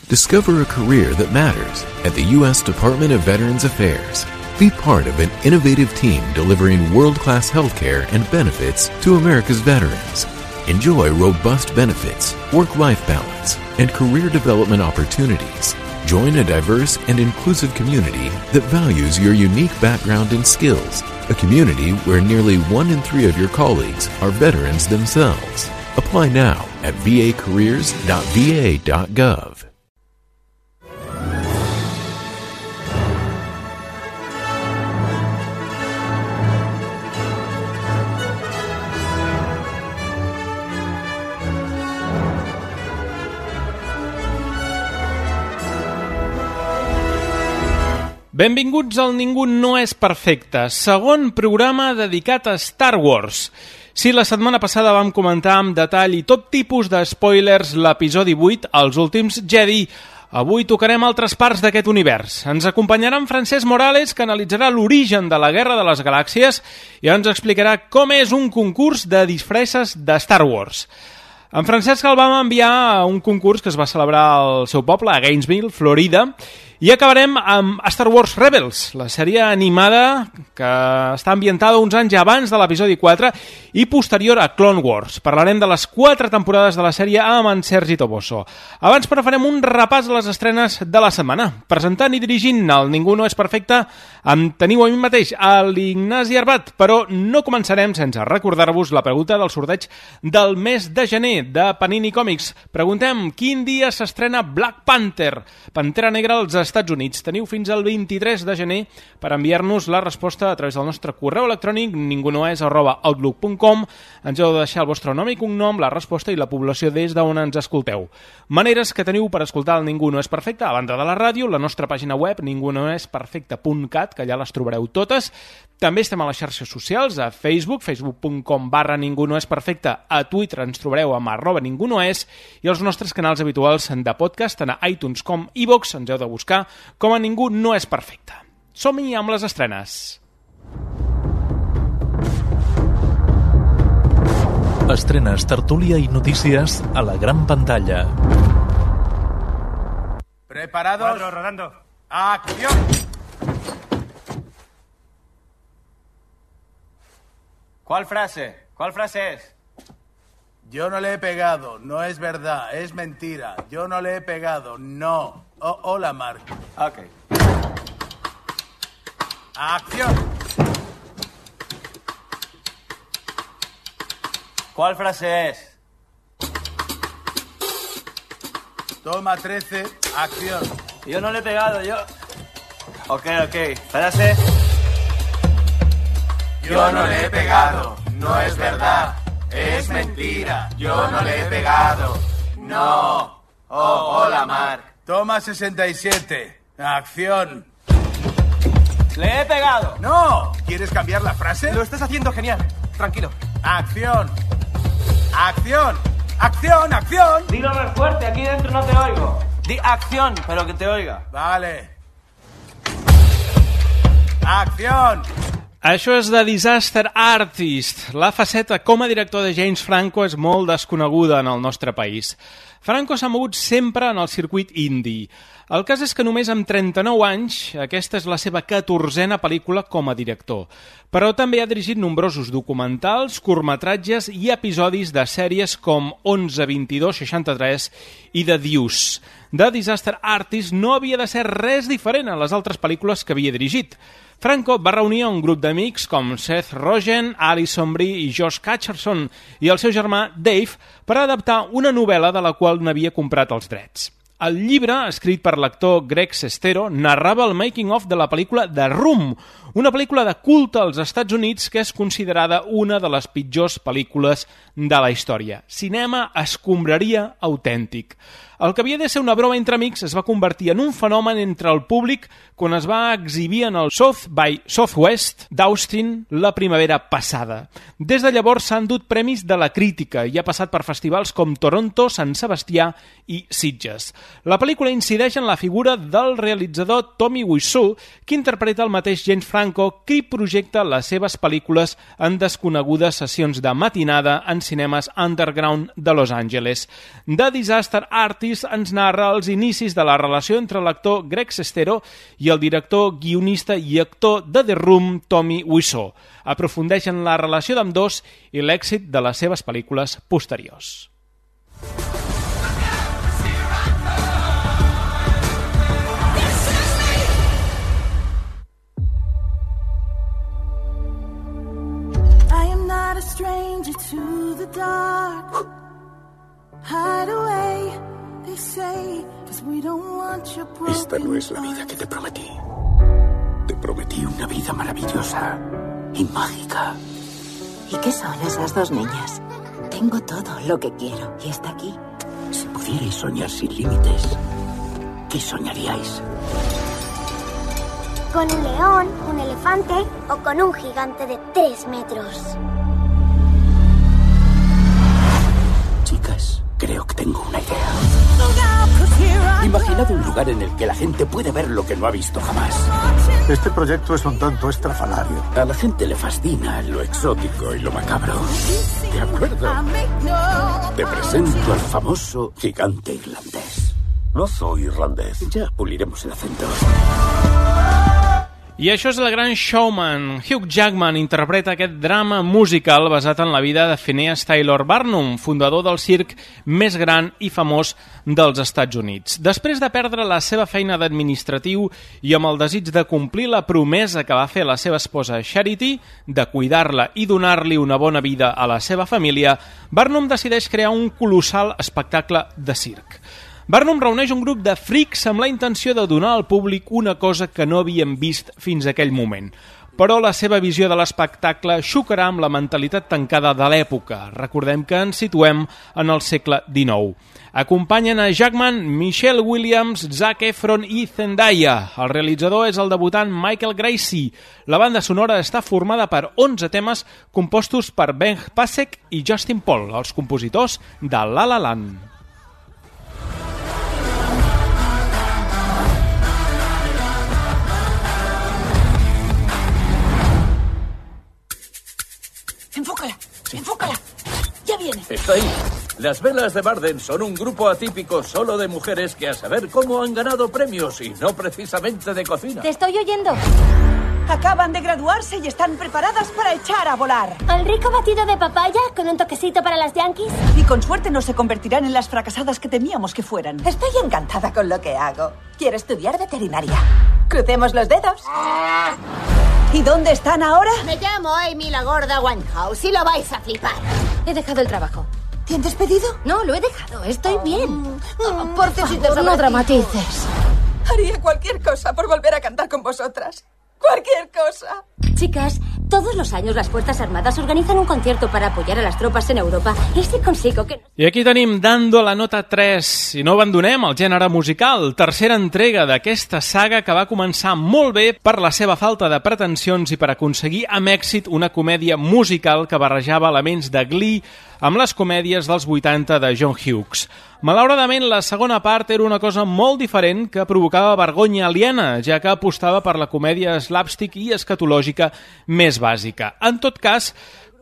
Discover a career that matters at the U.S. Department of Veterans Affairs. Be part of an innovative team delivering world-class healthcare and benefits to America's veterans. Enjoy robust benefits, work-life balance, and career development opportunities. Join a diverse and inclusive community that values your unique background and skills. A community where nearly 1 in 3 of your colleagues are veterans themselves. Apply now at vacareers.va.gov. Benvinguts al Ningú no és perfecte, segon programa dedicat a Star Wars. Si la setmana passada vam comentar amb detall i tot tipus de spoilers l'episodi 8, Els últims Jedi, avui tocarem altres parts d'aquest univers. Ens acompanyarà en Francesc Morales, que analitzarà l'origen de la Guerra de les Galàxies i ens explicarà com és un concurs de disfresses de Star Wars. En Francesc el vam enviar a un concurs que es va celebrar al seu poble, a Gainesville, Florida, i acabarem amb Star Wars Rebels, la sèrie animada que està ambientada uns anys abans de l'episodi 4 i posterior a Clone Wars. Parlarem de les 4 temporades de la sèrie amb en Sergi Toboso. Abans, però, farem un repàs a les estrenes de la setmana. Presentant i dirigint el Ningú no és perfecte, em teniu a mi mateix, a l'Ignasi Arbat, però no començarem sense recordar-vos la pregunta del sorteig del mes de gener de Panini Còmics. Preguntem quin dia s'estrena Black Panther, Pantera Negra als Estats Units. Teniu fins al 23 de gener per enviar-nos la resposta a través del nostre correu electrònic ningunoes@outlook.com. Ens heu de deixar el vostre nom i cognom, la resposta i la població des d'on ens escolteu. Maneres que teniu per escoltar el Ningú no és perfecte, a banda de la ràdio, la nostra pàgina web ningunoesperfecte.cat, que ja les trobareu totes. També estem a les xarxes socials, a Facebook, facebook.com/ningunoesperfecte, a Twitter ens trobareu amb @ningunoes, i els nostres canals habituals de podcast, tant a iTunes com iVoox, ens heu de buscar com a Ningú no és perfecte. Som-hi amb les estrenes. Estrenes, tertúlia i notícies a la gran pantalla. ¿Preparados? 4, rodando. ¡Acción! ¿Cuál frase? ¿Cuál frase es? Yo no le he pegado, no es verdad, es mentira. Yo no le he pegado, no. Hola, Mark. Ok. ¡Acción! ¿Cuál frase es? Toma 13, acción. Yo no le he pegado, yo... Ok. Frase. Yo no le he pegado, no es verdad, es mentira. Yo no le he pegado, no. Hola, Mark. Toma 67, acción. ¡Le he pegado! ¡No! ¿Quieres cambiar la frase? Lo estás haciendo genial. Tranquilo. ¡Acción! ¡Acción! ¡Acción! ¡Acción! Dilo más fuerte, aquí dentro no te oigo. Di acción, pero que te oiga. Vale. ¡Acción! Això és The Disaster Artist. La faceta com a director de James Franco és molt desconeguda en el nostre país. Franco s'ha mogut sempre en el circuit indie. El cas és que només amb 39 anys, aquesta és la seva 14a pel·lícula com a director. Però també ha dirigit nombrosos documentals, curtmetratges i episodis de sèries com 11, 22, 63 i The Deuce. The Disaster Artist no havia de ser res diferent a les altres pel·lícules que havia dirigit. Franco va reunir un grup d'amics com Seth Rogen, Alison Brie i Josh Hutcherson i el seu germà Dave per adaptar una novel·la de la qual n'havia comprat els drets. El llibre, escrit per l'actor Greg Sestero, narrava el making-of de la pel·lícula The Room, una pel·lícula de culte als Estats Units que és considerada una de les pitjors pel·lícules de la història. Cinema escombraria autèntic. El que havia de ser una broma entre amics es va convertir en un fenomen entre el públic quan es va exhibir en el South by Southwest d'Austin la primavera passada. Des de llavors s'han dut premis de la crítica i ha passat per festivals com Toronto, Sant Sebastià i Sitges. La pel·lícula incideix en la figura del realitzador Tommy Wiseau, que interpreta el mateix James Franco, qui projecta les seves pel·lícules en desconegudes sessions de matinada en cinemes underground de Los Angeles. The Disaster Artist Office ens narra els inicis de la relació entre l'actor Greg Sestero i el director, guionista i actor de The Room, Tommy Wiseau. Aprofundeixen la relació d'ambdós i l'èxit de les seves pel·lícules posteriors. A stranger to the dark. Hide away, they say, 'cause we don't want your broken. Esta no es la vida que te prometí. Te prometí una vida maravillosa y mágica. ¿Y qué son esas dos niñas? Tengo todo lo que quiero y está aquí. Si pudierais soñar sin límites, ¿qué soñaríais? Con un león, un elefante o con un gigante de 3 metros. Chicas, creo que tengo una idea. Imaginad un lugar en el que la gente puede ver lo que no ha visto jamás. Este proyecto es un tanto estrafalario. A la gente le fascina lo exótico y lo macabro. ¿De acuerdo? Te presento al famoso gigante irlandés. No soy irlandés. Ya puliremos el acento. I això és El Gran Showman. Hugh Jackman interpreta aquest drama musical basat en la vida de Phineas Taylor Barnum, fundador del circ més gran i famós dels Estats Units. Després de perdre la seva feina d'administratiu i amb el desig de complir la promesa que va fer la seva esposa Charity, de cuidar-la i donar-li una bona vida a la seva família, Barnum decideix crear un colossal espectacle de circ. Barnum reuneix un grup de frics amb la intenció de donar al públic una cosa que no havien vist fins a aquell moment. Però la seva visió de l'espectacle xocarà amb la mentalitat tancada de l'època. Recordem que ens situem en el segle XIX. Acompanyen a Jackman, Michelle Williams, Zac Efron i Zendaya. El realitzador és el debutant Michael Gracie. La banda sonora està formada per 11 temes compostos per Ben Pasek i Justin Paul, els compositors de La La Land. Enfócala, enfócala. Ya viene. Está ahí. Las velas de Barden son un grupo atípico solo de mujeres que a saber cómo han ganado premios y no precisamente de cocina. Te estoy oyendo. Acaban de graduarse y están preparadas para echar a volar. ¿El rico batido de papaya con un toquecito para las Yankees? Y con suerte no se convertirán en las fracasadas que temíamos que fueran. Estoy encantada con lo que hago. Quiero estudiar veterinaria. Crucemos los dedos. ¿Y dónde están ahora? Me llamo Amy la Gorda Winehouse y lo vais a flipar. He dejado el trabajo. ¿Te han despedido? No, lo he dejado. Estoy bien. Por favor, no dramatices. Haría cualquier cosa por volver a cantar con vosotras. Cualquier cosa. Chicas, todos los años las Fuerzas Armadas organizan un concierto para apoyar a las tropas en Europa. ¿Y si consigo que... I aquí tenim Dando la nota 3. I no abandonem el gènere musical. Tercera entrega d'aquesta saga que va començar molt bé per la seva falta de pretensions i per aconseguir amb èxit una comèdia musical que barrejava elements de Glee amb les comèdies dels 80 de John Hughes. Malauradament, la segona part era una cosa molt diferent que provocava vergonya aliena, ja que apostava per la comèdia slapstick i escatològica més bàsica. En tot cas,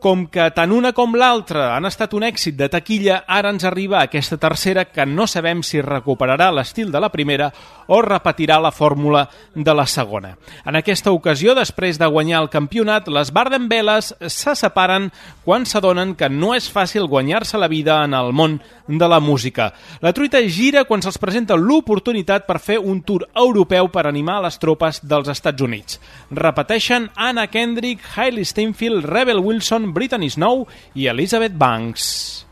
com que tant una com l'altra han estat un èxit de taquilla, ara ens arriba aquesta tercera que no sabem si recuperarà l'estil de la primera o repetirà la fórmula de la segona. En aquesta ocasió, després de guanyar el campionat, les Barden Belles se separen quan s'adonen que no és fàcil guanyar-se la vida en el món de la música. La truita gira quan se'ls presenta l'oportunitat per fer un tour europeu per animar les tropes dels Estats Units. Repeteixen Anna Kendrick, Hailey Steinfeld, Rebel Wilson, Brittany Snow i Elizabeth Banks.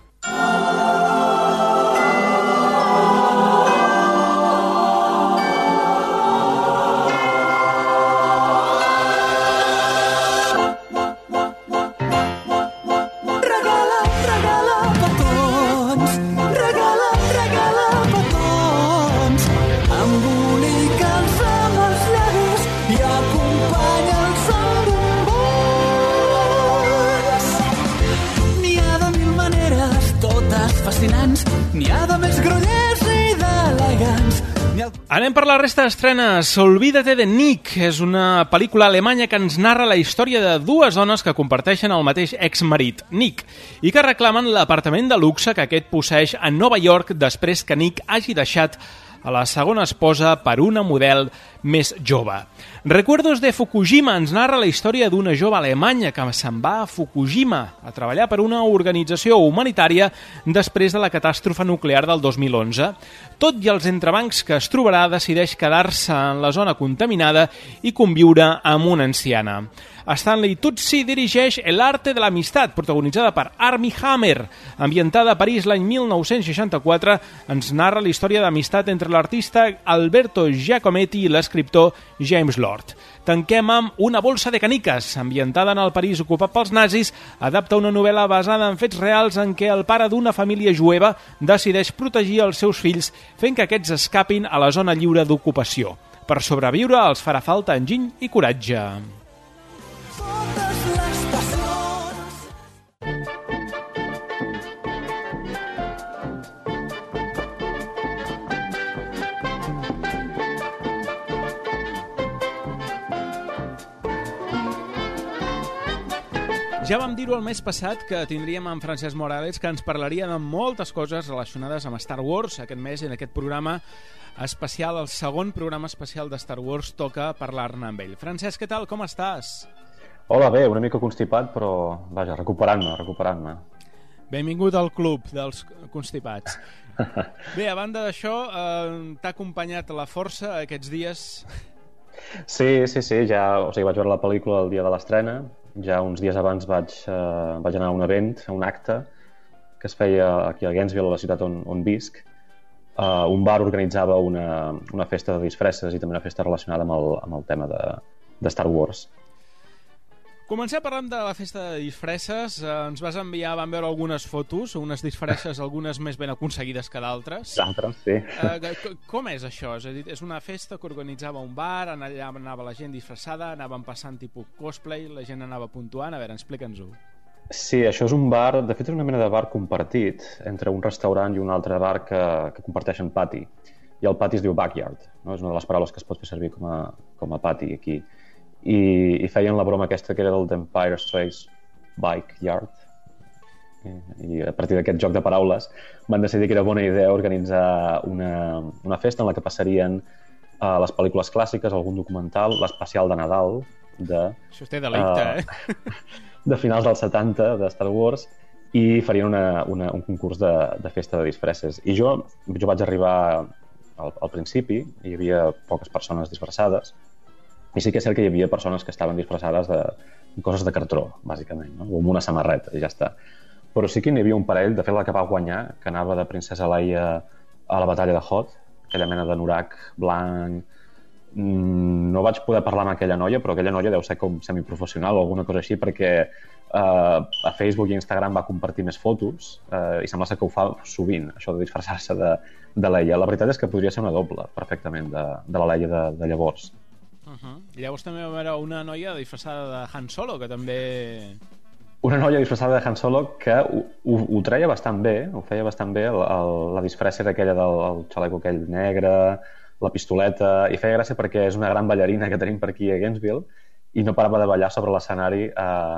N'hi ha de més grollers i d'elegants. Anem per la resta d'estrenes. Olvídate de Nick és una pel·lícula alemanya que ens narra la història de dues dones que comparteixen el mateix exmarit, Nick, i que reclamen l'apartament de luxe que aquest posseeix a Nova York després que Nick hagi deixat a la segona esposa per una model més jove. Recuerdos de Fukushima ens narra la història d'una jove alemanya que se'n va a Fukushima a treballar per una organització humanitària després de la catàstrofe nuclear del 2011. Tot i els entrebancs que es trobarà, decideix quedar-se en la zona contaminada i conviure amb una anciana. Stanley Tucci dirigeix El arte de l'amistat, protagonitzada per Armie Hammer. Ambientada a París l'any 1964, ens narra la història d'amistat entre l'artista Alberto Giacometti i l'escriptor James Lord. Tanquem amb Una bolsa de caniques, ambientada en el París ocupat pels nazis, adapta una novel·la basada en fets reals en què el pare d'una família jueva decideix protegir els seus fills fent que aquests escapin a la zona lliure d'ocupació. Per sobreviure els farà falta enginy i coratge. Ja vam dir-ho el mes passat que tindríem en Francesc Morales, que ens parlaria de moltes coses relacionades amb Star Wars. Aquest mes, en aquest programa especial, el segon programa especial de Star Wars, toca parlar-ne amb ell. Francesc, què tal? Com estàs? Hola, bé, una mica constipat, però vaja, recuperant-me. Benvingut al club dels constipats. Bé, a banda d'això, t'ha acompanyat la força aquests dies? Sí, ja, vaig veure la pel·lícula el dia de l'estrena. Ja uns dies abans vaig anar a un event, a un acte que es feia aquí a Gainesville, a la ciutat on visc. Un bar organitzava una festa de disfresses i també una festa relacionada amb el tema de Star Wars. Comencem parlant de la festa de disfresses. Ens vas enviar, vam veure algunes fotos, unes disfresses, algunes més ben aconseguides que d'altres. D'altres, sí. Com és això? És a dir, és una festa que organitzava un bar, allà anava la gent disfressada, anaven passant tipus cosplay, la gent anava puntuant. A veure, explica'ns-ho. Sí, això és un bar, de fet és una mena de bar compartit entre un restaurant i un altre bar que comparteixen pati. I el pati es diu backyard, no? És una de les paraules que es pot fer servir com a pati aquí. I feien la broma aquesta que era del Empire State Backyard. I a partir d'aquest joc de paraules van decidir que era bona idea organitzar una festa en la que passarien les pel·lícules clàssiques, algun documental, l'especial de Nadal Això té delicte, de finals dels 70 de Star Wars, i farien un concurs de festa de disfresses. I jo vaig arribar al principi, hi havia poques persones disfressades, i sí que és cert que hi havia persones que estaven disfressades de coses de cartró, bàsicament, no? O amb una samarreta, i ja està. Però sí que n'hi havia un parell, de fet la que va guanyar, que anava de princesa Leia a la batalla de Hoth, aquella mena d'anorac blanc. No vaig poder parlar amb aquella noia, però aquella noia deu ser com semiprofessional o alguna cosa així, perquè a Facebook i Instagram va compartir més fotos i sembla ser que ho fa sovint, això de disfressar-se de Leia. La veritat és que podria ser una doble, perfectament, de la Leia de llavors. I llavors també va haver una noia disfressada de Han Solo, que també... Una noia disfressada de Han Solo que ho treia bastant bé, ho feia bastant bé, la disfressa era aquella del xaleco aquell negre, la pistoleta, i feia gràcia perquè és una gran ballarina que tenim per aquí a Gainesville i no parava de ballar sobre l'escenari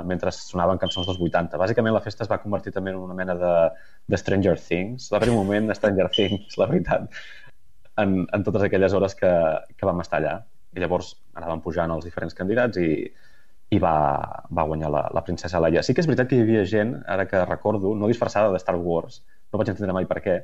mentre sonaven cançons dels 80. Bàsicament la festa es va convertir també en una mena de Stranger Things, va haver un moment de Stranger Things, la veritat, en totes aquelles hores que vam estar allà. I llavors anaven pujant els diferents candidats i va guanyar la princesa Leia. Sí que és veritat que hi havia gent, ara que recordo, no disfressada de Star Wars, no vaig entendre mai per què.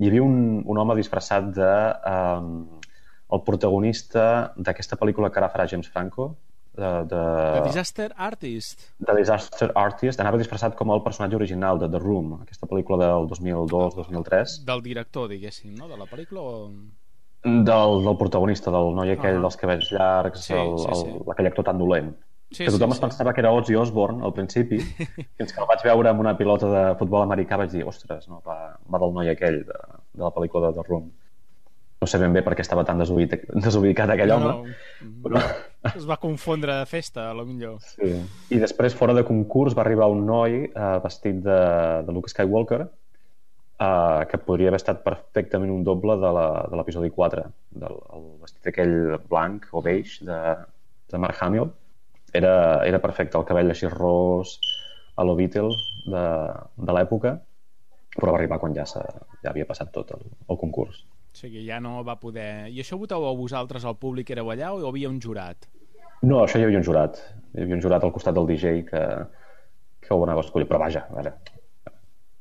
Hi havia un home disfressat el protagonista d'aquesta pel·lícula que ara farà James Franco, The Disaster Artist. The Disaster Artist, anava disfressat com el personatge original de The Room, aquesta pel·lícula del 2002-2003. Del director, diguéssim, no? De la pel·lícula o... Del protagonista, del noi aquell dels cabells llargs, aquell actor tan dolent. Que tothom es pensava que era Ozzy Osbourne al principi, fins que el vaig veure amb una pilota de futbol americà vaig dir, ostres, no, va del noi aquell de la pel·lícula de The Room. No sé ben bé per què estava tan desubicat aquell home. Però... Es va confondre de festa, a lo millor. Sí. I després, fora de concurs, va arribar un noi vestit de Luke Skywalker, que podria haver estat perfectament un doble de l'episodi 4, el vestit aquell blanc o beige de Mark Hamill. Era perfecte, el cabell així ros a lo Beatle de l'època, però va arribar quan ja havia passat tot el concurs. O sigui, ja no va poder... I això votàveu vosaltres, el públic éreu allà, o hi havia un jurat? No, això hi havia un jurat. Hi havia un jurat al costat del DJ que ho anava a escollir. Però vaja, a veure,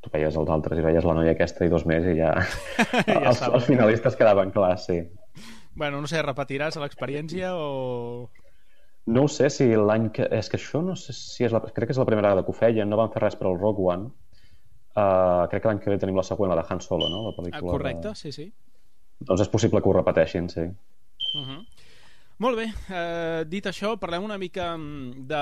tu veies els altres i veies la noia aquesta i dos més i ja... els finalistes quedaven clars, sí. Bueno, no sé, repetiràs l'experiència o... No ho sé si l'any que... És que això no sé si és crec que és la primera vegada que ho feien, no van fer res per al Rogue One. Crec que l'any que ve tenim la següent, la de Han Solo, no? La pel·lícula correcte, sí. Doncs és possible que ho repeteixin, sí. Molt bé, dit això, parlem una mica de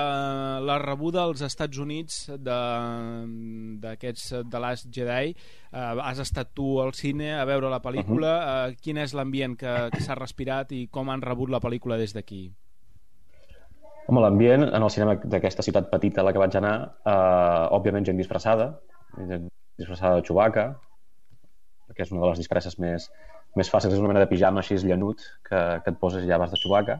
la rebuda als Estats Units d'aquests The Last Jedi. Has estat tu al cine a veure la pel·lícula. Quin és l'ambient que s'ha respirat i com han rebut la pel·lícula des d'aquí? Home, l'ambient en el cinema d'aquesta ciutat petita a la que vaig anar, òbviament gent disfressada de Chewbacca, que és una de les disfresses més fàcils, és una mena de pijama així llanut que et poses i ja vas de Chewbacca,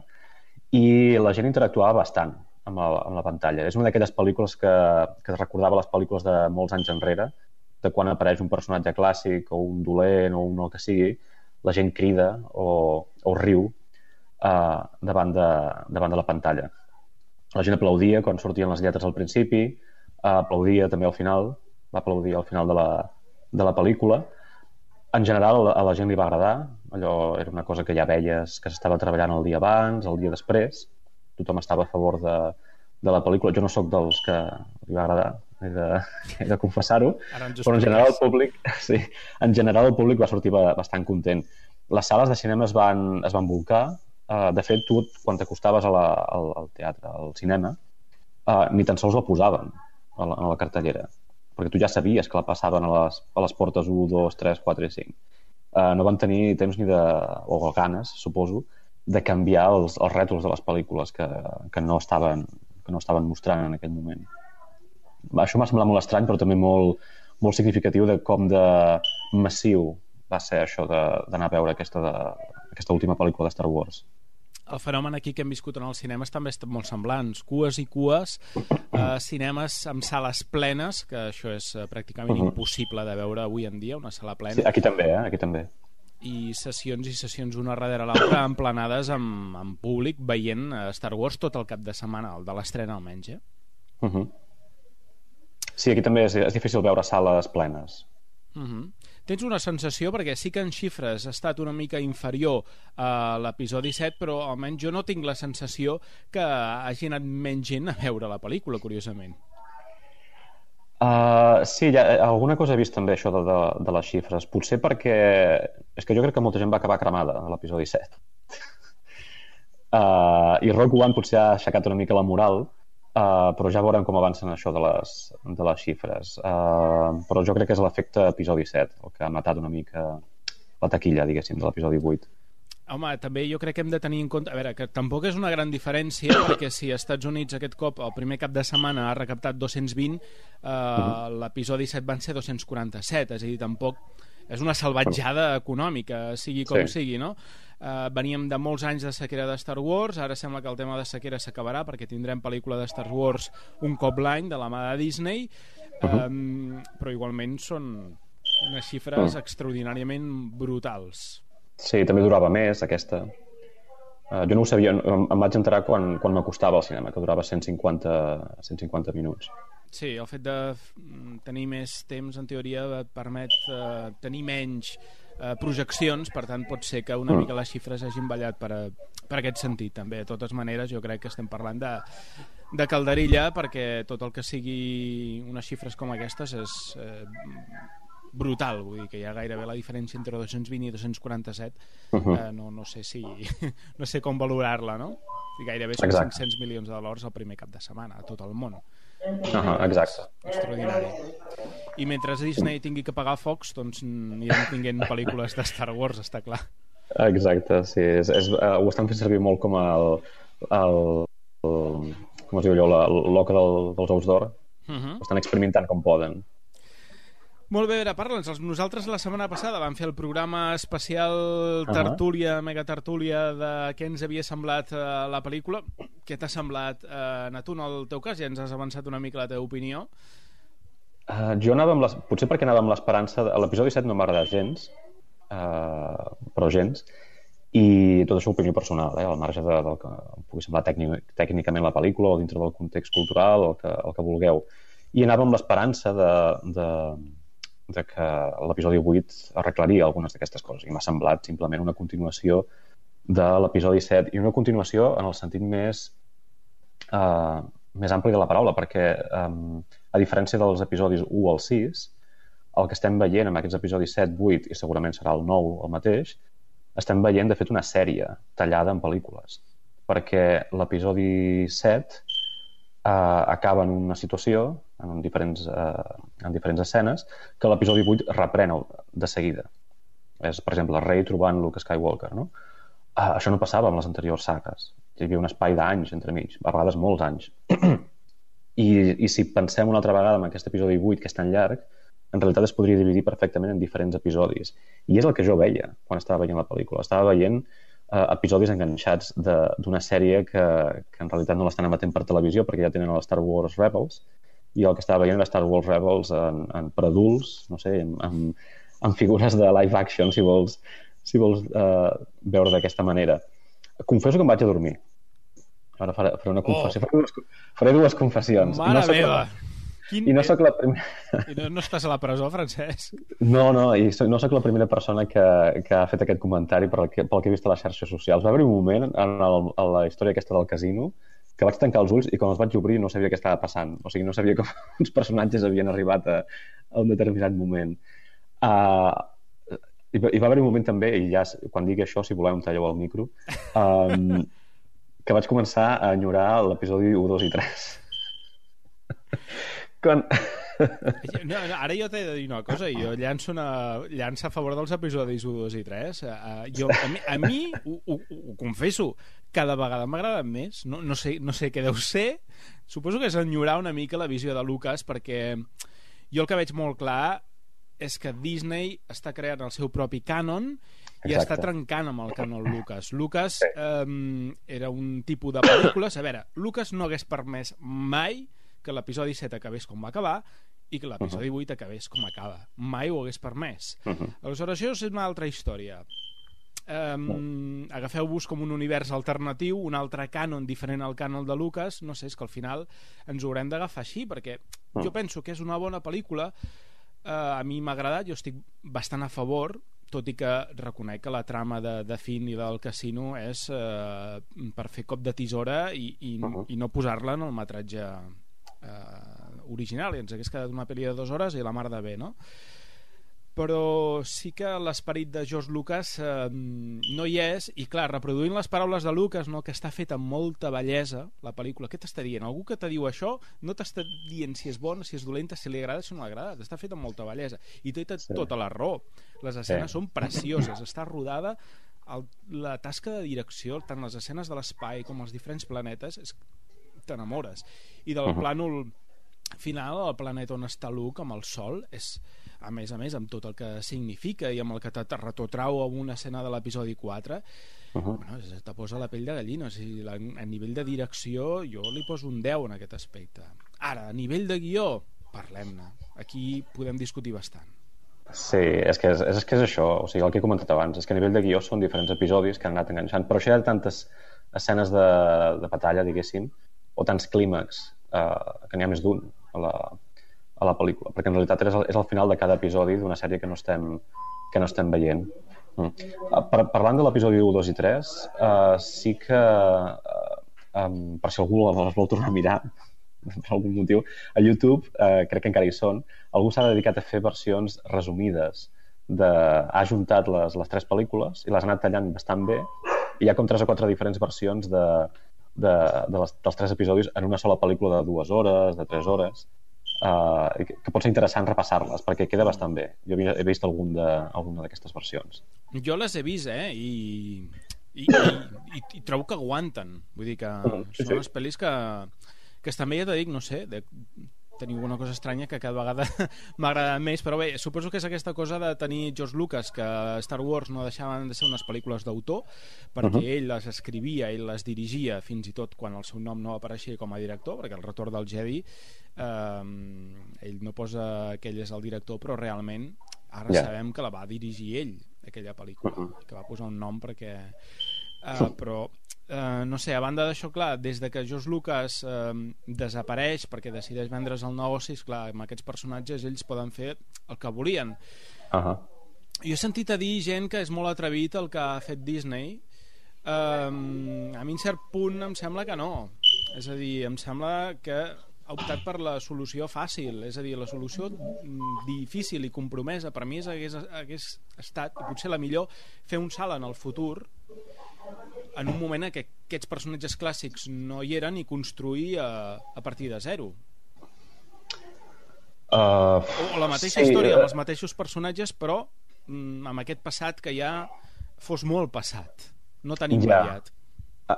i la gent interactuava bastant amb la pantalla. És una d'aquelles pel·lícules que recordava les pel·lícules de molts anys enrere, de quan apareix un personatge clàssic o un dolent o un que sigui, la gent crida o riu davant de la pantalla. La gent aplaudia quan sortien les lletres al principi, aplaudia també al final, va aplaudir al final de la pel·lícula. En general a la gent li va agradar, allò era una cosa que ja veies que s'estava treballant el dia abans, el dia després, tothom estava a favor de la pel·lícula. Jo no sóc dels que li va agradar, he de confessar-ho, però en general el públic va sortir bastant content. Les sales de cinema es van volcar. De fet, tu quan t'acostaves al teatre, al cinema, ni tan sols la posaven a la cartellera, perquè tu ja sabies que la passaven a les portes 1, 2, 3, 4 i 5. No van tenir temps o ganes, suposo, de canviar els rètols de les pel·lícules que no estaven mostrant en aquell moment. Això m'ha semblat molt estrany, però també molt, molt significatiu de com de massiu va ser això d'anar a veure aquesta última pel·lícula de Star Wars. El fenomen aquí que hem viscut en els cinemes també estan molt semblants. Cues i cues, cinemes amb sales plenes, que això és pràcticament impossible de veure avui en dia, una sala plena. Sí, aquí també. I sessions una darrere l'altra, emplenades amb públic, veient Star Wars tot el cap de setmana, el de l'estrena almenys, Sí, aquí també és difícil veure sales plenes. Tens una sensació, perquè sí que en xifres ha estat una mica inferior a l'episodi 7, però almenys jo no tinc la sensació que hagi anat menys gent a veure la pel·lícula, curiosament. Sí, alguna cosa he vist també això de les xifres, potser perquè és que jo crec que molta gent va acabar cremada a l'episodi 7 i Rogue One potser ha aixecat una mica la moral, però ja veurem com avancen això de les xifres, però jo crec que és l'efecte episodi 7 el que ha matat una mica la taquilla, diguéssim, de l'episodi 8. Home, també jo crec que hem de tenir en compte, a veure, que tampoc és una gran diferència, perquè si als Estats Units aquest cop el primer cap de setmana ha recaptat 220, l'episodi 7 van ser 247, és a dir, tampoc és una salvatjada econòmica, sigui com sigui, no? Veníem de molts anys de sequera de Star Wars, ara sembla que el tema de sequera s'acabarà perquè tindrem pel·lícula de Star Wars un cop l'any de la mà de Disney, però igualment són unes xifres extraordinàriament brutals. Sí, també durava més aquesta. Jo no ho sabia, em vaig enterar quan m'acostava al cinema, que durava 150 minuts. Sí, el fet de tenir més temps, en teoria, et permet tenir menys projeccions, per tant pot ser que una mica les xifres hagin ballat per aquest sentit també. De totes maneres, jo crec que estem parlant de calderilla, perquè tot el que sigui unes xifres com aquestes és brutal, vull dir que hi ha gairebé la diferència entre 220 i 247, no sé com valorar-la, no? I gairebé són 500 milions de dòlars el primer cap de setmana a tot el món. Exacte. Extraordinari. I mentre Disney tingui que pagar Fox, doncs anirem tinguent pel·lícules de Star Wars, està clar. Exacte, sí. Ho estan fent servir molt com com es diu allò, l'oca dels ous d'or. Ho estan experimentant com poden. Molt bé, ara parla'ns. Nosaltres la setmana passada vam fer el programa especial tertúlia, megatertúlia de què ens havia semblat la pel·lícula. Què t'ha semblat, Natu, en el teu cas? Ja ens has avançat una mica la teva opinió. Jo anava amb potser perquè anava amb l'esperança... L'episodi 7 no m'ha agradat gens, però gens, i tot això opinió personal, al marge del que pugui semblar tècnicament la pel·lícula o dintre del context cultural o el que vulgueu. I anava amb l'esperança de que l'episodi 8 arreglaria algunes d'aquestes coses, i m'ha semblat simplement una continuació de l'episodi 7, i una continuació en el sentit més ampli de la paraula, perquè a diferència dels episodis 1 al 6, el que estem veient en aquests episodis 7, 8 i segurament serà el 9 el mateix, estem veient de fet una sèrie tallada en pel·lícules, perquè l'episodi 7 acaba en una situació en diferents escenes que l'episodi 8 reprèn de seguida. És, per exemple, Rey trobant Luke Skywalker, no? Això no passava amb les anteriors sagues. Hi havia un espai d'anys entremig, a vegades molts anys. I si pensem una altra vegada en aquest episodi 8, que és tan llarg, en realitat es podria dividir perfectament en diferents episodis. I és el que jo veia quan estava veient la pel·lícula. Estava veient episodis enganxats d'una sèrie que en realitat no l'estan emetent per televisió perquè ja tenen el Star Wars Rebels, i el que estava veient era Star Wars Rebels per adults, no sé, amb figures de live action, si vols veure d'aquesta manera. Confesso que em vaig a dormir. Ara faré una confessió. Faré dues confessions. Mare meva! I no soc la primera... I no estàs a la presó, Francesc? No, i no soc la primera persona que ha fet aquest comentari pel que he vist a les xarxes socials. Va haver un moment a la història aquesta del casino que vaig tancar els ulls i quan els vaig obrir no sabia què estava passant. O sigui, no sabia com uns personatges havien arribat a un determinat moment. I va haver un moment també, i ja quan digui això, si voleu em talleu el micro, que vaig començar a enyorar l'episodi 1, 2 i 3. No, ara jo t'he de dir una cosa, jo llanço a favor dels episodis 1, 2 i 3. A mi ho confesso, cada vegada m'agraden més. No sé què deu ser, suposo que és enyorar una mica la visió de Lucas, perquè jo el que veig molt clar és que Disney està creant el seu propi cànon i està trencant amb el cànon Lucas. Lucas era un tipus de pel·lícules. A veure, Lucas no hagués permès mai que l'episodi 7 acabés com va acabar i que l'episodi 8 acabés com acaba. Mai ho hagués permès. Aleshores, això és una altra història. Agafeu-vos com un univers alternatiu, un altre cànon diferent al cànon de Lucas. No sé, és que al final ens ho haurem d'agafar així, perquè jo penso que és una bona pel·lícula. A mi m'ha agradat, jo estic bastant a favor, tot i que reconec que la trama de Finn i del casino és per fer cop de tisora i no posar-la en el metratge original, i ens hagués quedat una pel·li de 2 hores i la mar de bé, no? Però sí que l'esperit de George Lucas no hi és, i clar, reproduint les paraules de Lucas, no, que està feta amb molta bellesa la pel·lícula. Què t'està dient? Algú que te diu això no t'està dient si és bona, si és dolenta, si li agrada, si no li agrada. Està feta amb molta bellesa i té tota la raó. Les escenes són precioses, està rodada, la tasca de direcció, tant les escenes de l'espai com els diferents planetes, t'enamores. I del plànol final, el planeta on està Luke amb el sol, és a més, amb tot el que significa i amb el que te retrotrau a una escena de l'episodi 4, bueno, te posa la pell de gallina. O sigui, a nivell de direcció jo li poso un 10 en aquest aspecte. Ara, a nivell de guió, parlem-ne. Aquí podem discutir bastant. Sí, és que és això, o sigui, el que he comentat abans, és que a nivell de guió són diferents episodis que han anat enganxant, però això hi ha tantes escenes de batalla, diguéssim, o tants clímax, que n'hi ha més d'un a la pel·lícula, perquè en realitat és el final de cada episodi d'una sèrie que no estem veient. Parlant de l'episodi 1, 2 i 3, sí que per si algú els vol tornar a mirar per algun motiu, a YouTube, crec que encara hi són, algú s'ha dedicat a fer versions resumides ha ajuntat les 3 pel·lícules i les ha anat tallant bastant bé, i hi ha com 3 o 4 diferents versions dels 3 episodis en una sola pel·lícula de 2 hores, de 3 hores, que pot ser interessant repassar-les perquè queda bastant bé. Jo he vist alguna d'aquestes versions. Jo les he vist, i trobo que aguanten. Vull dir que són unes pel·lis que estan bé, ja t'ho dic, no sé, teniu una cosa estranya que cada vegada m'agrada més, però bé, suposo que és aquesta cosa de tenir George Lucas, que Star Wars no deixaven de ser unes pel·lícules d'autor, perquè ell les escrivia, ell les dirigia, fins i tot quan el seu nom no apareixia com a director, perquè el Retorn del Jedi ell no posa que ell és el director, però realment ara sabem que la va dirigir ell, aquella pel·lícula, que va posar un nom perquè... però no sé, a banda d'això, clar, des de que George Lucas desapareix perquè decideix vendre's el negoci, clar, amb aquests personatges ells poden fer el que volien. Jo he sentit a dir gent que és molt atrevit el que ha fet Disney. A mi en cert punt em sembla que no, és a dir, em sembla que ha optat per la solució fàcil, és a dir, la solució difícil i compromesa per mi hagués estat, i potser la millor, fer un salt en el futur en un moment en què aquests personatges clàssics no hi eren i construir a partir de zero. O la mateixa història amb els mateixos personatges, però amb aquest passat que ja fos molt passat, no tan immediat.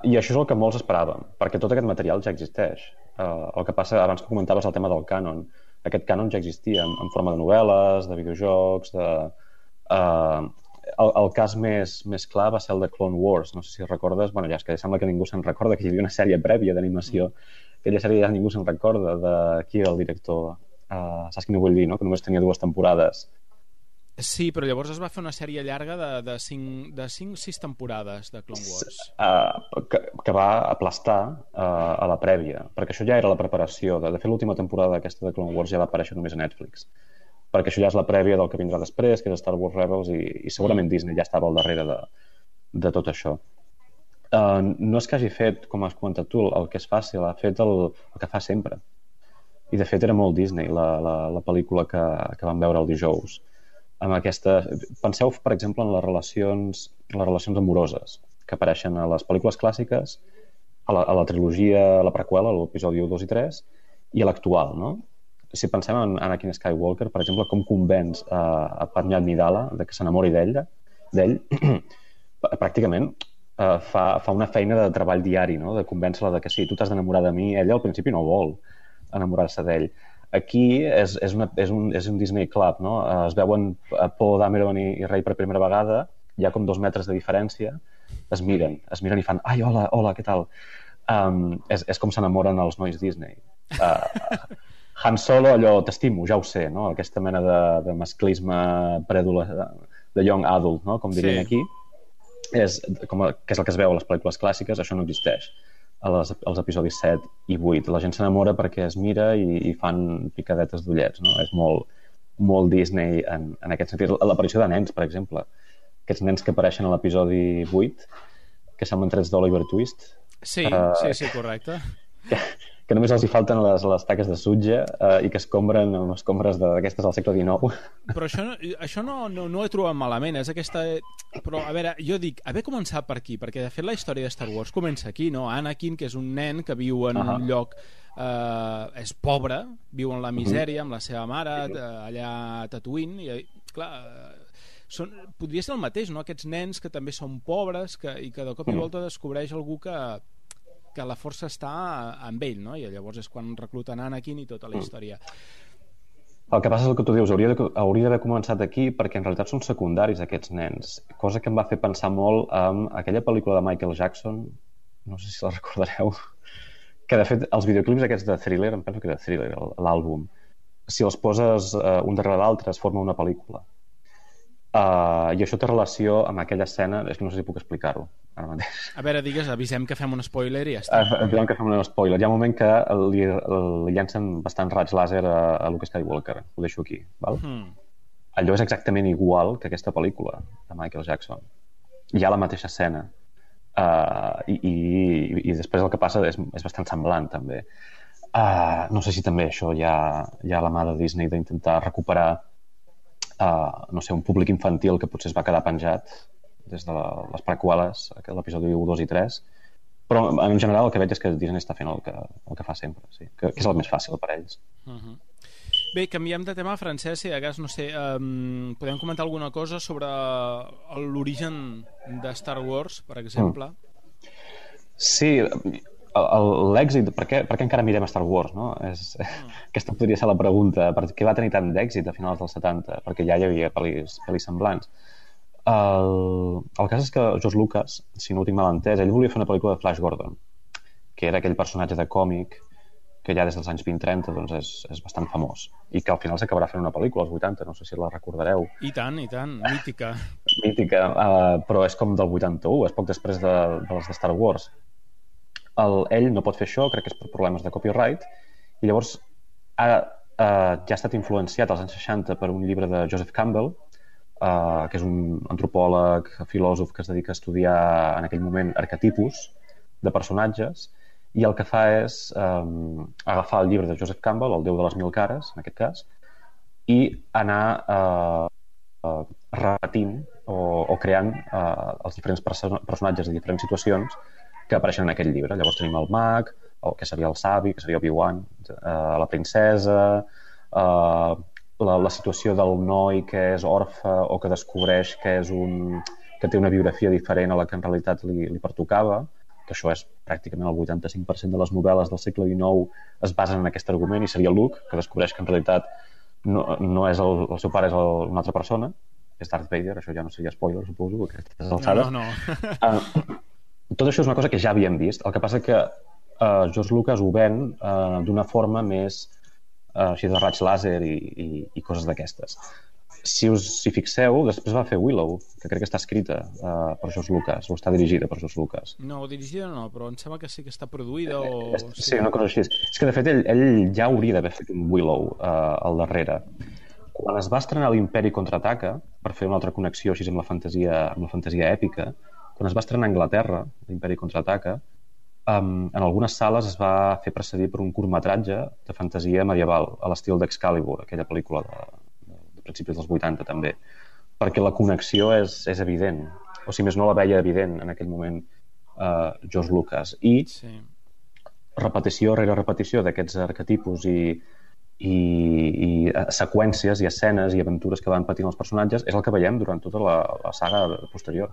I això és el que molts esperàvem, perquè tot aquest material ja existeix. El que passa, abans que comentaves el tema del cànon, aquest cànon ja existia en forma de novel·les, de videojocs, el cas més clar va ser el de Clone Wars, no sé si recordes, bueno, ja és que sembla que ningú se'n recorda, que hi havia una sèrie prèvia d'animació, aquella sèrie ja ningú se'n recorda de qui era el director, saps què no vull dir, no? Que només tenia 2 temporades. Sí, però llavors es va fer una sèrie llarga de 5-6 temporades de Clone Wars. Que va aplastar a la prèvia, perquè això ja era la preparació. De fet, l'última temporada aquesta de Clone Wars ja va aparèixer només a Netflix, perquè això ja és la prèvia del que vindrà després, que és Star Wars Rebels, i segurament Disney ja estava al darrere de tot això. No és que hagi fet, com has comentat tu, el que és fàcil, ha fet el que fa sempre. I de fet era molt Disney la pel·lícula que vam veure el dijous. Amb aquesta... Penseu, per exemple, en les relacions amoroses que apareixen a les pel·lícules clàssiques, a la trilogia, a la preqüela, a l'episodi 1, 2 i 3, i a l'actual, no? Si pensem en Anakin Skywalker, per exemple, com convenç a Padmé Amidala de que s'enamori d'ell, pràcticament fa una feina de treball diari, no? De convèncer-la de que sí, tu t'has d'enamorar de mi. Ella al principi no vol enamorar-se d'ell. Aquí és un Disney Club, no? Es veuen Poe Dameron i Rey per primera vegada, hi ha com 2 metres de diferència, es miren i fan ai, hola, què tal? És com s'enamoren els nois Disney. Han Solo, allò, t'estimo, ja ho sé, no? Aquesta mena de masclisme de young adult, no? Com dirien aquí, que és el que es veu a les pel·lícules clàssiques, això no existeix als episodis 7 i 8. La gent s'enamora perquè es mira i fan picadetes d'ullets, no? És molt Disney en aquest sentit. L'aparició de nens, per exemple, aquests nens que apareixen a l'episodi 8, que semblen trets d'Oliver Twist. Sí, correcte. Que només els hi falten les taques de sutge i que escombren amb escombres d'aquestes del segle XIX. Però això no ho he trobat malament, és aquesta... Però, a veure, jo dic, haver començat per aquí, perquè de fet la història de Star Wars comença aquí, no? Anakin, que és un nen que viu en un lloc... és pobre, viu en la misèria amb la seva mare, allà a Tatooine, i clar... podria ser el mateix, no? Aquests nens que també són pobres i que de cop i volta descobreix algú que la força està amb ell, no? I llavors és quan recluten Anakin i tota la història. El que passa és el que tu dius, hauria d'haver començat aquí perquè en realitat són secundaris aquests nens, cosa que em va fer pensar molt en aquella pel·lícula de Michael Jackson, no sé si la recordareu, que de fet els videoclips aquests de Thriller, em penso que era Thriller, l'àlbum, si els poses un darrere l'altre es forma una pel·lícula. I això té relació amb aquella escena, és que no sé si puc explicar-ho ara mateix. A veure, digues, avisem que fem un spoiler i ja està. Avisem que fem un spoiler. Hi ha un moment que li llancen bastants raigs làser a Luke Skywalker, ho deixo aquí, val? Allò és exactament igual que aquesta pel·lícula de Michael Jackson. Hi ha la mateixa escena i després el que passa és bastant semblant també. No sé si també això hi ha la mà de Disney d'intentar recuperar no sé, un públic infantil que potser es va quedar penjat des de les preqüeles, l'episodi 1, 2 i 3, però en general el que veig és que Disney està fent el que fa sempre, sí, que és el més fàcil per a ells. Bé, canviem de tema, Francesc, si de cas, no sé, podem comentar alguna cosa sobre l'origen de Star Wars, per exemple? Sí, l'èxit, per què encara mirem Star Wars, no? Aquesta podria ser la pregunta. Per què va tenir tant d'èxit a finals dels 70? Perquè ja hi havia pel·lis semblants. El cas és que George Lucas, si no ho tinc mal entès, ell volia fer una pel·lícula de Flash Gordon, que era aquell personatge de còmic que ja des dels anys 20-30 doncs és bastant famós i que al final s'acabarà fent una pel·lícula als 80, no sé si la recordareu. I tant, mítica. Mítica, però és com del 81, és poc després de les de Star Wars. Ell no pot fer això, crec que és per problemes de copyright, i llavors ja ha estat influenciat als anys 60 per un llibre de Joseph Campbell, que és un antropòleg, filòsof que es dedica a estudiar en aquell moment arquetipus de personatges, i el que fa és agafar el llibre de Joseph Campbell, El Déu de les Mil Cares, en aquest cas, i anar repetint o creant els diferents personatges de diferents situacions que apareixen en aquell llibre. Llavors tenim el mag, que seria el savi, que seria Obi-Wan, la princesa, la situació del noi que és orfe o que descobreix que té una biografia diferent a la que en realitat li pertocava, que això és pràcticament el 85% de les novel·les del segle XIX es basen en aquest argument, i seria Luke, que descobreix que en realitat no és el seu pare, és una altra persona, és Darth Vader. Això ja no seria spoiler, suposo, a aquestes alçades. No. Tot això és una cosa que ja havíem vist. El que passa que George Lucas ho ven d'una forma més així de raig làser i coses d'aquestes. Si us hi fixeu, després va fer Willow, que crec que està escrita per George Lucas, o està dirigida per George Lucas. No, dirigida no, però em sembla que sí que està produïda o... Sí, una cosa així. És que, de fet, ell ja hauria d'haver fet un Willow al darrere. Quan es va estrenar l'Imperi Contraataca, per fer una altra connexió així amb la fantasia èpica, quan es va estrenar a Anglaterra, l'Imperi Contraataca, en algunes sales es va fer precedir per un curtmetratge de fantasia medieval, a l'estil d'Excalibur, aquella pel·lícula de principis dels 80 també, perquè la connexió és evident, o si més no la veia evident en aquell moment George Lucas, i repetició rere repetició d'aquests arquetipus i seqüències i escenes i aventures que van patint els personatges és el que veiem durant tota la saga posterior.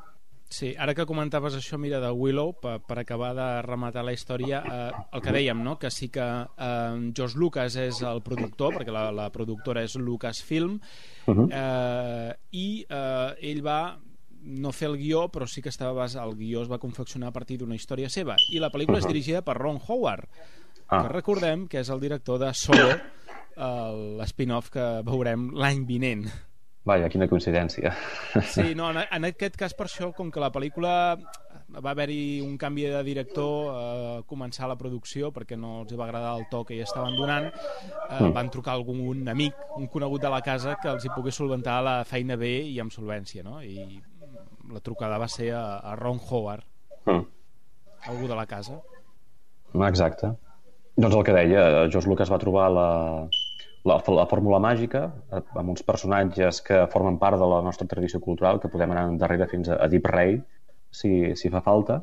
Sí, ara que comentaves això, mira, de Willow, per acabar de rematar la història, el que dèiem, no?, que sí que George Lucas és el productor, perquè la productora és Lucasfilm, i ell va no fer el guió, però sí que el guió es va confeccionar a partir d'una història seva, i la pel·lícula és dirigida per Ron Howard, que recordem que és el director de Solo, l'spin-off que veurem l'any vinent. Vaja, quina coincidència. Sí, no, en aquest cas, per això, com que la pel·lícula va haver-hi un canvi de director a començar la producció perquè no els va agradar el to que hi estaven donant, van trucar a algun amic, un conegut de la casa, que els hi pogués solventar la feina bé i amb solvència, no? I la trucada va ser a Ron Howard, algú de la casa. Exacte. Doncs el que deia, George Lucas va trobar la fórmula màgica amb uns personatges que formen part de la nostra tradició cultural, que podem anar darrere fins a Deep Rey si fa falta,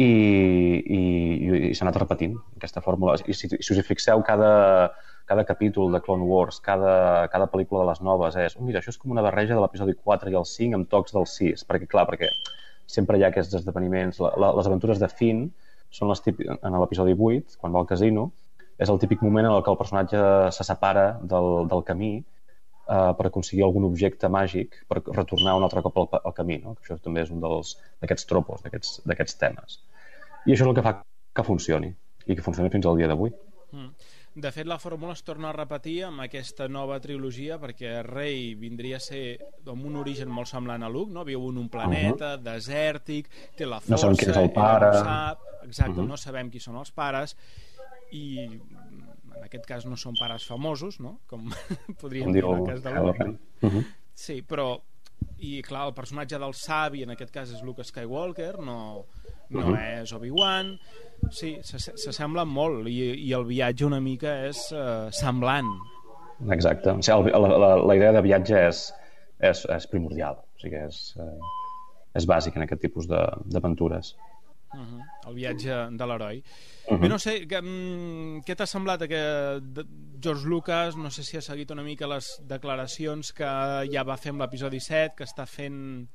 i s'ha anat repetint aquesta fórmula. I si us hi fixeu, cada capítol de Clone Wars, cada pel·lícula de les noves és mira, això és com una barreja de l'episodi 4 i el 5 amb tocs del 6, perquè sempre hi ha aquests esdeveniments. Les aventures de Finn són en l'episodi 8, quan va al casino, és el típic moment en què el personatge se separa del camí per aconseguir algun objecte màgic per retornar un altre cop al camí, no? Això també és un d'aquests tropos, d'aquests temes. I això és el que fa que funcioni, i que funcioni fins al dia d'avui. De fet, la fórmula es torna a repetir amb aquesta nova trilogia, perquè Rey vindria a ser amb un origen molt semblant a Luke, no? Viu en un planeta desèrtic, té la força, no sabem qui és el pare. No sabem qui són els pares, i en aquest cas no són pares famosos, no? Com podríem dir en el cas de Luke. Sí, però i clar, el personatge del savi en aquest cas és Luke Skywalker, no és Obi-Wan. Sí, s'assemblen molt, i el viatge una mica és semblant. Exacte, o sigui, la idea de viatge és primordial, o sigui, és bàsic en aquest tipus d'aventures. El viatge de l'heroi. Bé, no sé, què t'ha semblat George Lucas? No sé si ha seguit una mica les declaracions que ja va fer amb l'episodi 7, que està fent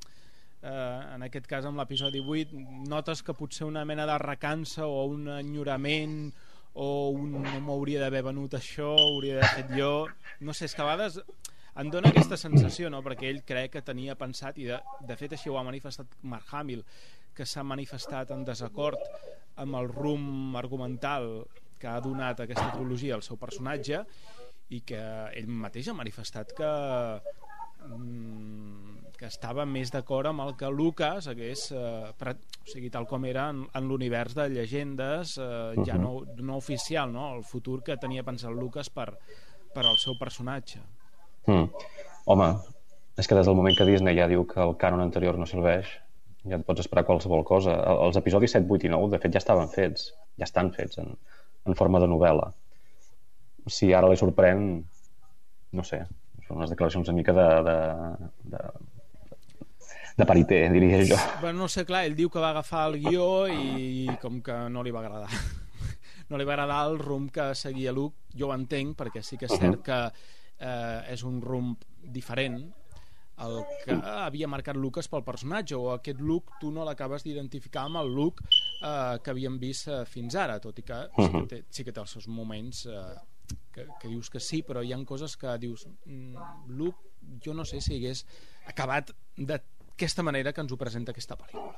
en aquest cas amb l'episodi 8 notes que potser una mena de recança o un enyorament o no m'hauria d'haver venut això, hauria d'haver fet jo, no sé, és que a vegades em dona aquesta sensació, no? Perquè ell crec que tenia pensat, i de fet així ho ha manifestat Mark Hamill, que s'ha manifestat en desacord amb el rumb argumental que ha donat aquesta trilogia al seu personatge, i que ell mateix ha manifestat que estava més d'acord amb el que Lucas hagués o sigui, tal com era en l'univers de llegendes ja no oficial, no? El futur que tenia pensat Lucas per al seu personatge. Home, és que des del moment que Disney ja diu que el cànon anterior no serveix, ja et pots esperar qualsevol cosa. Els episodis 7, 8 i 9 de fet ja estaven fets, ja estan fets en forma de novel·la. Si ara li sorprèn, no sé, són unes declaracions una mica de parité, diria jo. Bueno, no sé, clar, ell diu que va agafar el guió i com que no li va agradar. No li va agradar el rumb que seguia Luke, jo ho entenc, perquè sí que és cert que és un rumb diferent el que havia marcat Lucas pel personatge, o aquest Luke tu no l'acabes d'identificar amb el Luke que havíem vist fins ara, tot i que sí que té els seus moments que dius que sí, però hi ha coses que dius Luke, jo no sé si hagués acabat d'aquesta manera que ens ho presenta aquesta pel·lícula.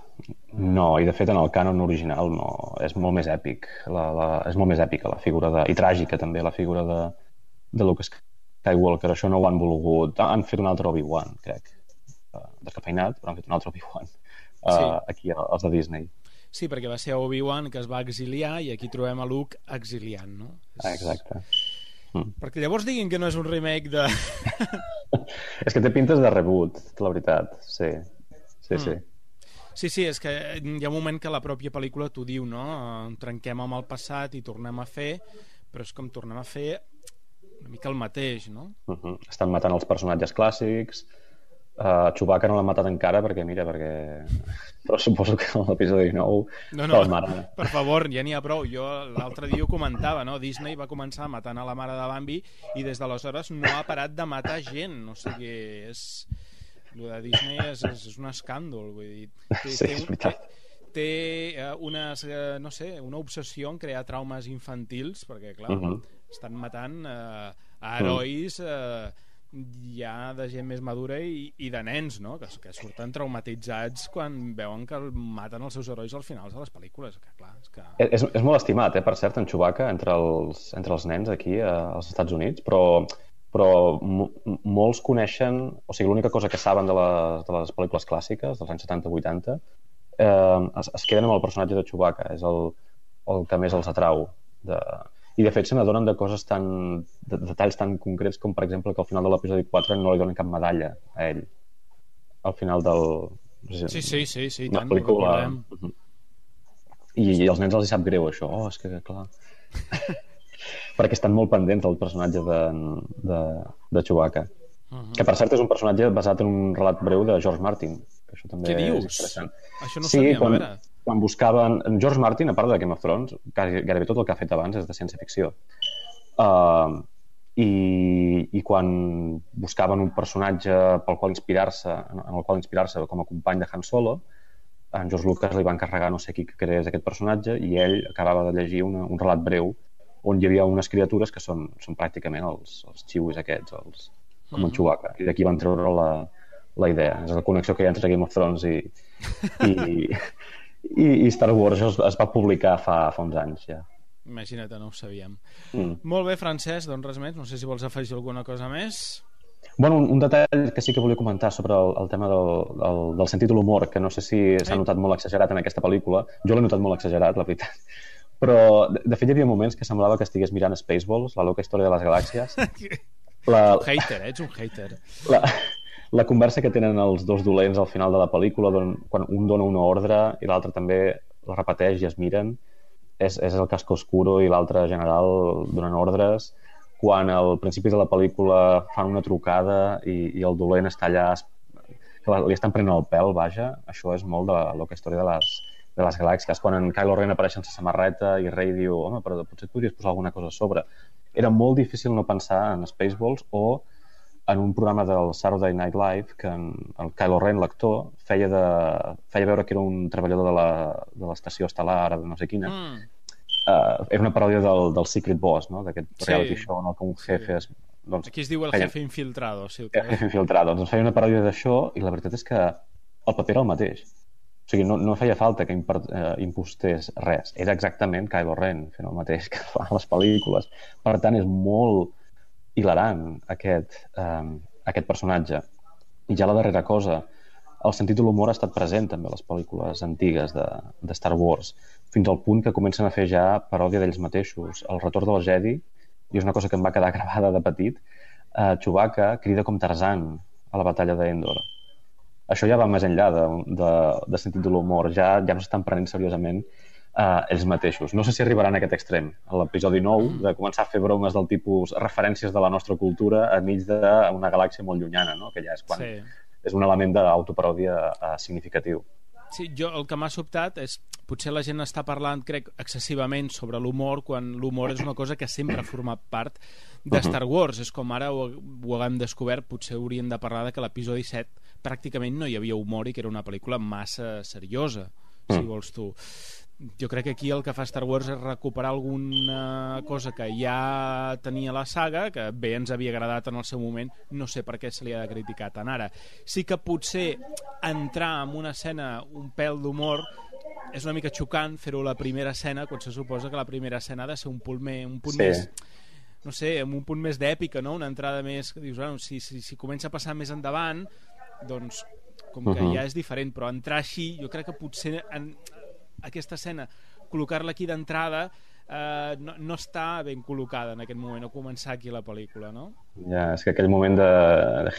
No, i de fet en el cànon original no, és molt més èpic és molt més èpica la figura i tràgica també la figura de Luke Skywalker. Això no ho han volgut, han fet un altre Obi-Wan, crec, descafeinat, però han fet un altre Obi-Wan aquí els de Disney. Sí, perquè va ser Obi-Wan que es va exiliar i aquí trobem a Luke exiliant, no? Exacte. Perquè llavors diguin que no és un remake de... És que té pintes de reboot, la veritat, sí. Sí, és que hi ha un moment que la pròpia pel·lícula t'ho diu, no? Trenquem amb el passat i tornem a fer, però és com tornem a fer una mica el mateix, no? Estan matant els personatges clàssics. Chewbacca no l'han matat encara perquè però suposo que en l'episodi 9 per favor, ja n'hi ha prou. Jo l'altre dia ho comentava, no? Disney va començar matant a la mare de Bambi i des d'aleshores no ha parat de matar gent, o sigui, el de Disney és un escàndol, vull dir, té una obsessió en crear traumes infantils, perquè clar, estan matant a herois ja de gent més madura i de nens, no? Que surten traumatitzats quan veuen que maten els seus herois al final de les pel·lícules, que clar, és molt estimat, per cert, en Chewbacca entre els nens aquí als Estats Units, però molts coneixen, o sigui, l'única cosa que saben de les pel·lícules clàssiques dels anys 70-80 es queden amb el personatge de Chewbacca, és el que més els atrau i de fet se n'adonen de coses de detalls tan concrets com per exemple que al final de l'episodi 4 no li donen cap medalla a ell al final del sí, la pel·lícula i als nens els hi sap greu això, és que clar perquè estan molt pendents del personatge de Chewbacca que per cert és un personatge basat en un relat breu de George Martin, que això també què dius? És interessant. Això no sabíem, a veure. Quan buscaven... George Martin, a part de Game of Thrones, gairebé tot el que ha fet abans és de ciència-ficció. I quan buscaven un personatge en el qual inspirar-se com a company de Han Solo, en George Lucas li va encarregar no sé qui que creés aquest personatge i ell acabava de llegir un relat breu on hi havia unes criatures que són pràcticament els xiuis aquests, com en Chewbacca. I d'aquí van treure la idea. És la connexió que hi ha entre Game of Thrones i Star Wars. Això es va publicar fa uns anys ja. Imagina't, no ho sabíem. Molt bé, Francesc, doncs res més. No sé si vols afegir alguna cosa més. Bueno, un detall que sí que volia comentar sobre el tema del sentit de l'humor, que no sé si s'ha notat molt exagerat en aquesta pel·lícula. Jo l'he notat molt exagerat, la veritat. Però, de fet, hi havia moments que semblava que estigués mirant Spaceballs, la loca història de les galàxies. Ets un hater. La conversa que tenen els dos dolents al final de la pel·lícula, quan un dona una ordre i l'altre també la repeteix i es miren, és el casco oscuro i l'altre general donant ordres. Quan al principi de la pel·lícula fan una trucada i el dolent està allà, que li estan prenent el pèl, vaja, això és molt de la loca història de les galàxies. Quan en Kylo Ren apareix sense samarreta i Rey diu, home, però potser et podries posar alguna cosa a sobre. Era molt difícil no pensar en Spaceballs o en un programa del Saturday Night Live que el Kylo Ren, l'actor, feia veure que era un treballador de l'estació estel·lar de no sé quina. Era una paròdia del Secret Boss, no? D'aquest reality show, no? Que un jefe aquí es diu el jefe infiltrado. El jefe infiltrado. Doncs feia una paròdia d'això i la veritat és que el paper era el mateix. O sigui, no feia falta que impostés res. Era exactament Kylo Ren fent el mateix que fa les pel·lícules. Per tant, és molt hilarant aquest personatge. I ja la darrera cosa, el sentit de l'humor ha estat present també a les pel·lícules antigues de Star Wars, fins al punt que comencen a fer ja paròdia d'ells mateixos. El retorn del Jedi, i és una cosa que em va quedar gravada de petit, Chewbacca crida com Tarzan a la batalla d'Endor. Això ja va més enllà de sentit de l'humor, ja no s'estan prenent seriosament ells mateixos. No sé si arribaran a aquest extrem, a l'episodi 9, de començar a fer bromes del tipus referències de la nostra cultura enmig d'una galàxia molt llunyana, no? Que ja és quan és un element d'autoparòdia significatiu. Sí, el que m'ha sobtat és potser la gent està parlant, crec, excessivament sobre l'humor, quan l'humor és una cosa que sempre ha format part de Star Wars. És com ara ho haguem descobert, potser hauríem de parlar de que l'episodi 7 pràcticament no hi havia humor i que era una pel·lícula massa seriosa, si vols tu. Jo crec que aquí el que fa Star Wars és recuperar alguna cosa que ja tenia la saga, que bé ens havia agradat en el seu moment, no sé per què se li ha de criticar tant ara. Sí que potser entrar en una escena un pèl d'humor és una mica xocant fer-ho a la primera escena, quan se suposa que la primera escena ha de ser un punt més, no sé, amb un punt més d'èpica, no? Una entrada més que dius, bueno, si comença a passar més endavant, doncs com que ja és diferent, però entrar així, jo crec que potser aquesta escena, col·locar-la aquí d'entrada no està ben col·locada en aquest moment, o començar aquí la pel·lícula, no? Ja, és que aquell moment de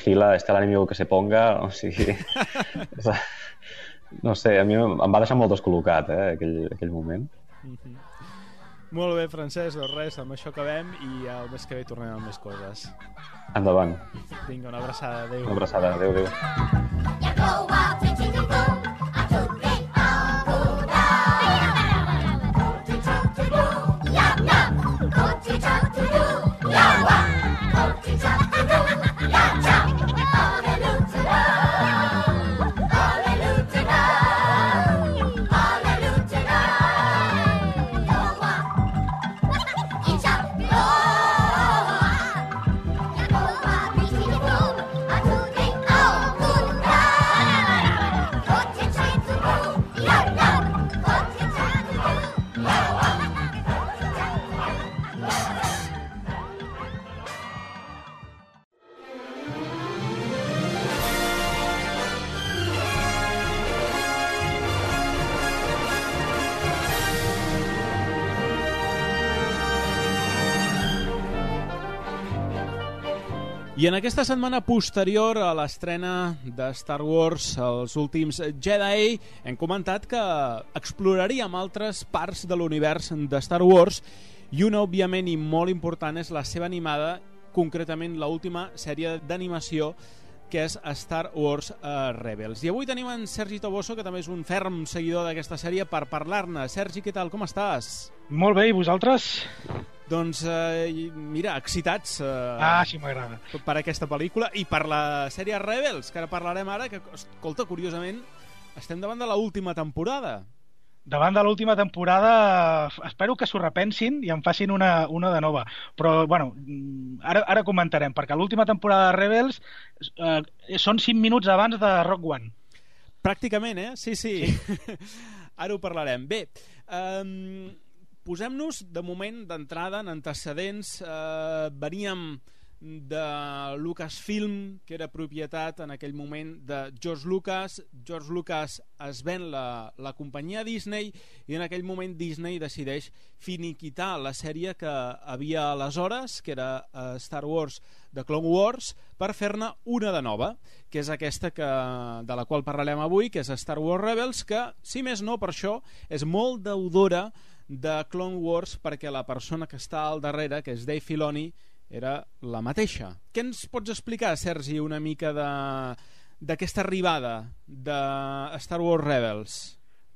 Gila, está el enemigo que se ponga, o sigui... no sé, a mi em va deixar molt descol·locat, aquell moment. Molt bé, Francesc, doncs res, amb això acabem i el mes que ve tornem amb més coses. Endavant. Vinga, una abraçada, adéu. Una abraçada, adéu. I en aquesta setmana posterior a l'estrena de Star Wars, els últims Jedi, hem comentat que exploraríem altres parts de l'univers de Star Wars i una, òbviament, i molt important és la seva animada, concretament l'última sèrie d'animació que és Star Wars Rebels. I avui tenim en Sergi Toboso, que també és un ferm seguidor d'aquesta sèrie, per parlar-ne. Sergi, què tal? Com estàs? Molt bé, i vosaltres? Doncs, mira, excitats sí, m'agrada. Per aquesta pel·lícula i per la sèrie Rebels, que ara parlarem ara, que, escolta, curiosament, estem davant de l'última temporada. Davant de l'última temporada, espero que s'ho repensin i en facin una de nova. Però, bueno, ara comentarem, perquè l'última temporada de Rebels són 5 minuts abans de Rogue One. Pràcticament, sí. Ara ho parlarem. Bé, posem-nos, de moment, d'entrada, en antecedents. Veníem de Lucasfilm, que era propietat en aquell moment de George Lucas. George Lucas es ven la companyia Disney i en aquell moment Disney decideix finiquitar la sèrie que havia aleshores, que era Star Wars The Clone Wars, per fer-ne una de nova, que és aquesta de la qual parlarem avui, que és Star Wars Rebels, que, si més no, per això, és molt deudora de Clone Wars, perquè la persona que està al darrere, que és Dave Filoni, era la mateixa. Què ens pots explicar, Sergi, una mica d'aquesta arribada de Star Wars Rebels?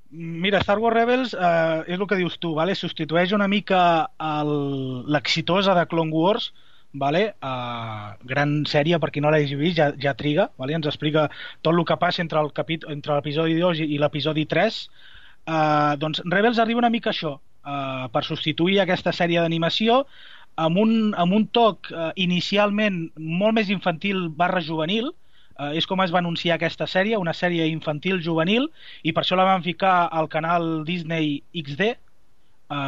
Mira, Star Wars Rebels és el que dius tu, vale? Substitueix una mica l'exitosa de Clone Wars, vale? Gran sèrie, per qui no l'hagi vist, ja triga, vale? Ens explica tot el que passa entre l'episodi 2 i l'episodi 3. Doncs Rebels arriba una mica a això, per substituir aquesta sèrie d'animació amb un toc inicialment molt més infantil / juvenil. És com es va anunciar aquesta sèrie, una sèrie infantil juvenil, i per això la van ficar al canal Disney XD,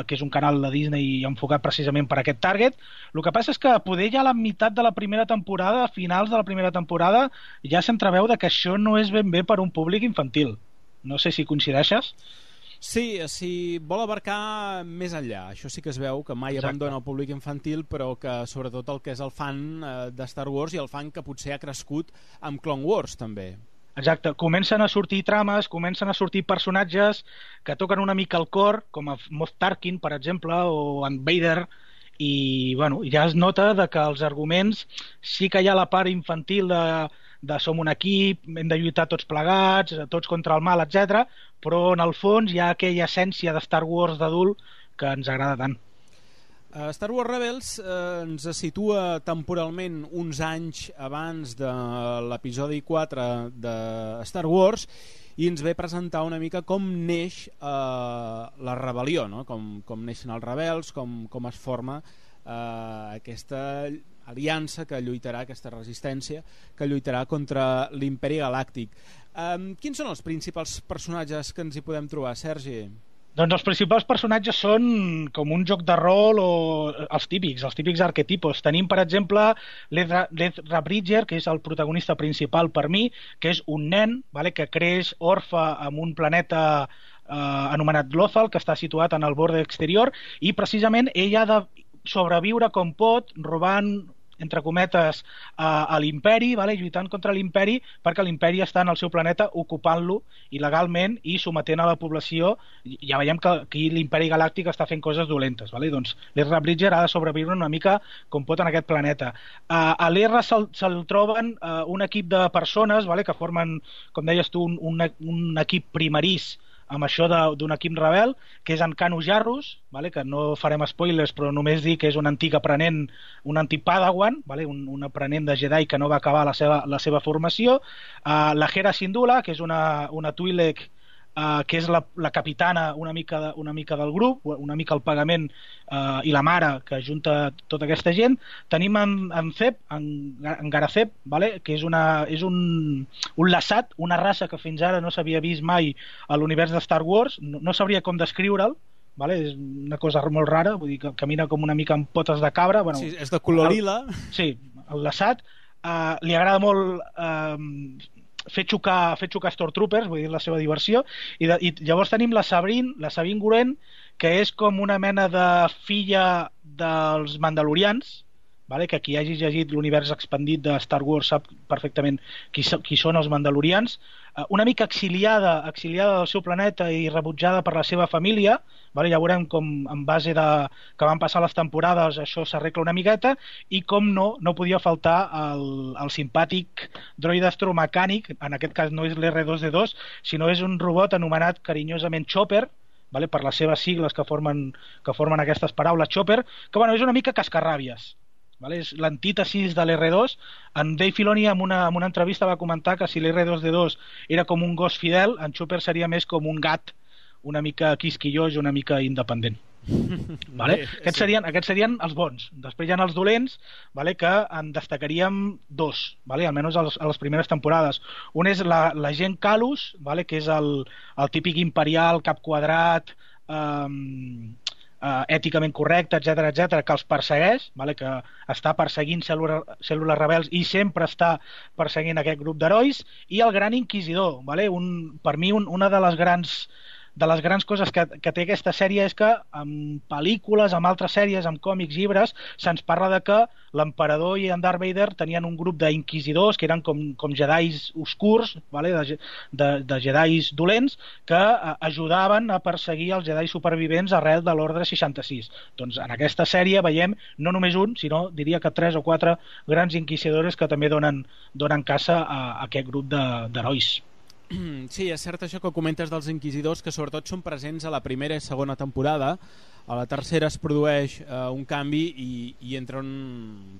que és un canal de Disney enfocat precisament per aquest target. El que passa és que poder ja a la meitat de la primera temporada, a finals de la primera temporada, ja s'entreveu que això no és ben bé per un públic infantil. No sé si coincideixes. Sí, si vol abarcar més enllà. Això sí que es veu, que mai abandona el públic infantil, però que sobretot el que és el fan de Star Wars i el fan que potser ha crescut amb Clone Wars també. Exacte, comencen a sortir trames, comencen a sortir personatges que toquen una mica el cor, com a Moff Tarkin, per exemple, o en Vader, i bueno, ja es nota que els arguments sí que hi ha la part infantil de som un equip, hem de lluitar tots plegats, tots contra el mal, etc. Però en el fons hi ha aquella essència de Star Wars d'adult que ens agrada tant. Star Wars Rebels ens situa temporalment uns anys abans de l'episodi 4 de Star Wars i ens ve presentar una mica com neix la rebel·lió, no? Com neixen els rebels, com es forma aquesta aliança que lluitarà, aquesta resistència que lluitarà contra l'Imperi Galàctic. Quins són els principals personatges que ens hi podem trobar, Sergi? Doncs els principals personatges són com un joc de rol o els típics arquetipos. Tenim, per exemple, l'Ezra Bridger, que és el protagonista principal per mi, que és un nen, vale, que creix orfe en un planeta anomenat Lothal, que està situat en el borde exterior, i precisament ell ha de sobreviure com pot, robant, entre cometes, a l'imperi, vale? Lluitant contra l'imperi, perquè l'imperi està en el seu planeta ocupant-lo il·legalment i sometent a la població. Ja veiem que aquí l'imperi galàctic està fent coses dolentes, vale? Doncs l'Ezra Bridger ha de sobreviure una mica com pot en aquest planeta. A l'Ezra se'l troben un equip de persones, vale? Que formen, com deies tu, un equip primerís amb això d'un equip rebel, que és en Kanu Jarrus, vale? Que no farem spoilers, però només dir que és un antic aprenent, un antic Padawan, vale? Un aprenent de Jedi que no va acabar la seva formació. La Hera Syndulla, que és una Twi'lek, que és la capitana una mica del grup, una mica el pagament i la mare que junta tota aquesta gent. Tenim en Zeb, en Garazeb, vale? Que és un lassat, una raça que fins ara no s'havia vist mai a l'univers de Star Wars. No sabria com descriure'l, vale? És una cosa molt rara, vull dir que camina com una mica amb potes de cabra. Bueno, sí, és de color lila. Sí, el lassat. Li agrada molt fer xocar Stormtroopers, vull dir, la seva diversió, i llavors tenim la Sabine Wren, que és com una mena de filla dels Mandalorians, vale? Que qui hagi llegit l'univers expandit de Star Wars sap perfectament qui són els Mandalorians, una mica exiliada del seu planeta i rebutjada per la seva família, vale? Ja veurem com en base que van passar les temporades això s'arregla una miqueta, i com no podia faltar el simpàtic droide astromecànic, en aquest cas no és l'R2D2, sinó és un robot anomenat carinyosament Chopper, vale? Per les seves sigles que formen aquestes paraules, Chopper, que bueno, és una mica cascarràbies. Vale? És l'antítesis de l'R2. En Dave Filoni en una entrevista va comentar que si l'R2D2 era com un gos fidel, en Chopper seria més com un gat una mica quisquillós i una mica independent. Vale? Aquests serien els bons. Després hi ha els dolents, vale? Que en destacaríem dos, vale? Almenys a les primeres temporades. Un és l'agent Calus, vale? Que és el típic imperial, cap quadrat, èticament correcte, etc, que els persegueix, vale? Que està perseguint cèl·lules rebels i sempre està perseguint aquest grup d'herois, i el gran inquisidor, vale? Per mi una de les grans coses que té aquesta sèrie és que en pel·lícules, en altres sèries, en còmics, llibres, se'ns parla de que l'emperador i en Darth Vader tenien un grup d'inquisidors que eren com jedis oscurs, vale? de jedis dolents, que ajudaven a perseguir els jedis supervivents arrel de l'Ordre 66. Doncs en aquesta sèrie veiem no només un, sinó diria que 3 o 4 grans inquisidores que també donen caça a aquest grup d'herois. Sí, és cert això que comentes dels inquisidors, que sobretot són presents a la primera i segona temporada, A la tercera es produeix un canvi i entren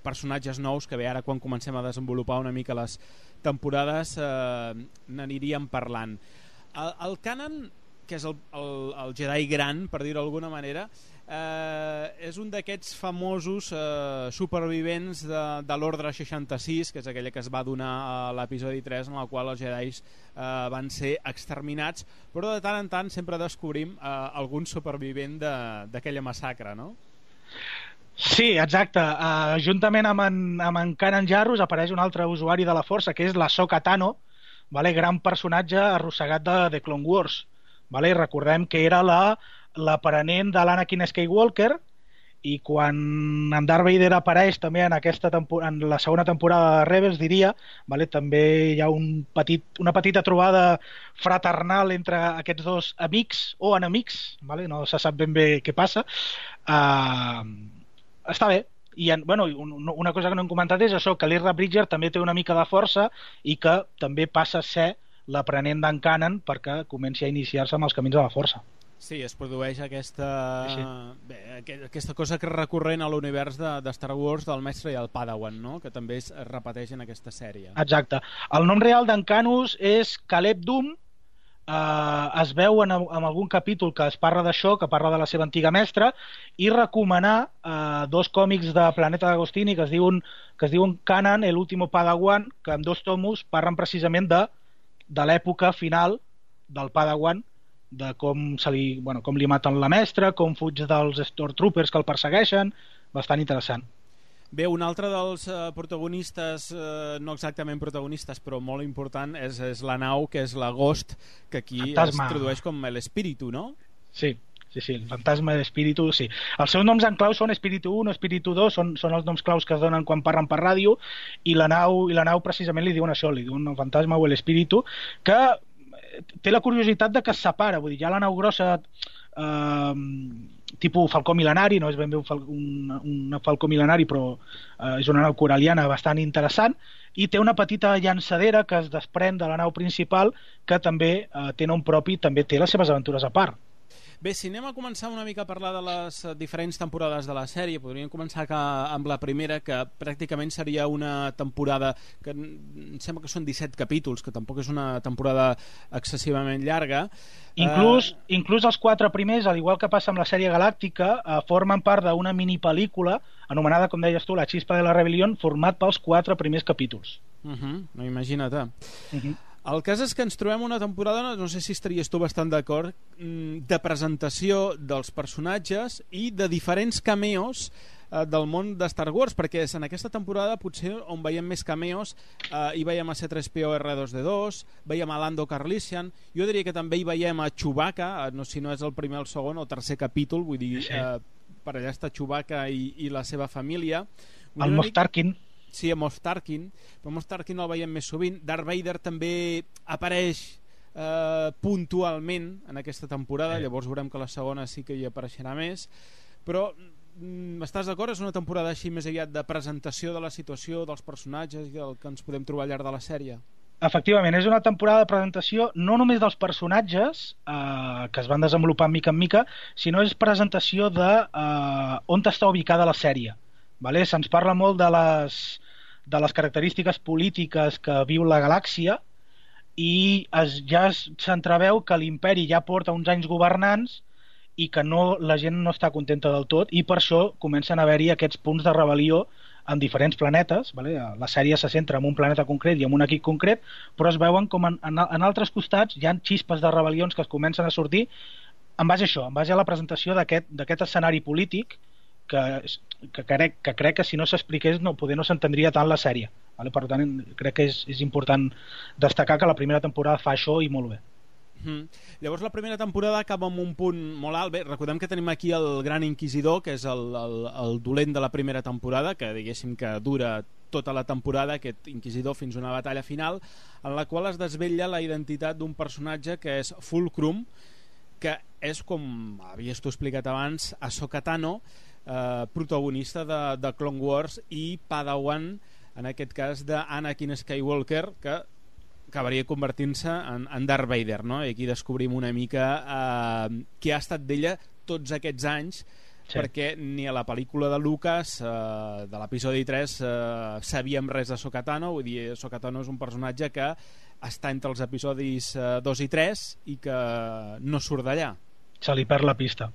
personatges nous que bé, ara quan comencem a desenvolupar una mica les temporades n'aniríem parlant. El Kanan, que és el Jedi gran, per dir-ho d'alguna manera, és un d'aquests famosos supervivents de l'Ordre 66, que és aquella que es va donar a l'episodi 3, en la qual els Jedis van ser exterminats, però de tant en tant sempre descobrim algun supervivent d'aquella massacre, no? Sí, exacte. Juntament amb en Kanan Jarrus apareix un altre usuari de la Força, que és l'Ahsoka Tano, gran personatge arrossegat de The Clone Wars. Recordem que era l'aprenent de l'Anakin Skywalker, i quan en Darth Vader apareix també en la segona temporada de Rebels, diria, també hi ha una petita trobada fraternal entre aquests dos amics o enemics, no se sap ben bé què passa. Està bé. I una cosa que no hem comentat és això, que l'Ezra Bridger també té una mica de força i que també passa a ser l'aprenent d'en Kanan perquè comenci a iniciar-se amb els camins de la força. Sí, es produeix aquesta cosa que és recurrent a l'univers de Star Wars del mestre i el Padawan, no? Que també es repeteix en aquesta sèrie. Exacte. El nom real d'en Canus és Caleb Dume. Es veu en algun capítol que es parla d'això, que parla de la seva antiga mestra, i recomanar dos còmics de Planeta d'Agostini que es diuen Kanan, el último Padawan, que en 2 tomos parlen precisament de l'època final del Padawan, de com li maten la mestra, com fuig dels Stormtroopers que el persegueixen. Bastant interessant. Bé, un altre dels protagonistes, no exactament protagonistes, però molt important, és la nau, que és la Ghost, que aquí es tradueix com l'Espíritu, no? Sí, el fantasma de l'Espíritu, sí. Els seus noms en clau són Espíritu 1, Espíritu 2, són els noms claus que es donen quan parlen per ràdio, i la nau precisament li diuen això, li diuen el fantasma o l'Espíritu, que té la curiositat de que es separa, vull dir, hi ha la nau grossa tipus falcó mil·lenari, no és ben bé un falcó mil·lenari, però és una nau coraliana bastant interessant, i té una petita llançadera que es desprèn de la nau principal, que també té nom propi, també té les seves aventures a part. Bé, si anem a començar una mica a parlar de les diferents temporades de la sèrie, podríem començar amb la primera, que pràcticament seria una temporada que em sembla que són 17 capítols, que tampoc és una temporada excessivament llarga. Inclús els 4 primers, al igual que passa amb la sèrie galàctica, formen part d'una mini-pel·lícula anomenada, com deies tu, La Xispa de la Rebel·lió, format pels 4 primers capítols. No, imagina't. El cas és que ens trobem una temporada, no sé si estaries tu bastant d'acord, de presentació dels personatges i de diferents cameos del món de Star Wars, perquè en aquesta temporada potser on veiem més cameos hi veiem a C-3PO R2-D2, veiem a Lando Calrissian, jo diria que també hi veiem a Chewbacca, si no és el primer, el segon o tercer capítol, vull dir, per allà està Chewbacca i la seva família. El Moff Tarkin. Sí, a Moff Tarkin, però Moff Tarkin el veiem més sovint. Darth Vader també apareix puntualment en aquesta temporada, llavors veurem que la segona sí que hi apareixerà més, però estàs d'acord? És una temporada així més aviat de presentació de la situació, dels personatges i del que ens podem trobar al llarg de la sèrie. Efectivament, és una temporada de presentació no només dels personatges que es van desenvolupar mica en mica, sinó és presentació de on està ubicada la sèrie. Se'ns parla molt de les característiques polítiques que viu la galàxia i ja s'entreveu que l'imperi ja porta uns anys governants i que la gent no està contenta del tot, i per això comencen a haver-hi aquests punts de rebel·lió en diferents planetes. La sèrie se centra en un planeta concret i en un equip concret, però es veuen com en altres costats hi ha xispes de rebel·lions que es comencen a sortir en base a això, en base a la presentació d'aquest escenari polític que crec que si no s'expliqués poder no s'entendria tant la sèrie. Per tant, crec que és important destacar que la primera temporada fa això i molt bé. Llavors la primera temporada acaba amb un punt molt alt. Bé, recordem que tenim aquí el Gran Inquisidor, que és el dolent de la primera temporada, que diguéssim que dura tota la temporada, aquest Inquisidor, fins a una batalla final en la qual es desvetlla la identitat d'un personatge que és Fulcrum, que és, com havies tu explicat abans, Ahsoka Tano, protagonista de Clone Wars i Padawan, en aquest cas d'Anakin Skywalker, que acabaria convertint-se en Darth Vader, no? I aquí descobrim una mica què ha estat d'ella tots aquests anys, perquè ni a la pel·lícula de Lucas, de l'episodi 3, sabíem res de Ahsoka Tano. Vull dir, Ahsoka Tano és un personatge que està entre els episodis 2 i 3 i que no surt d'allà. Se li perd la pista.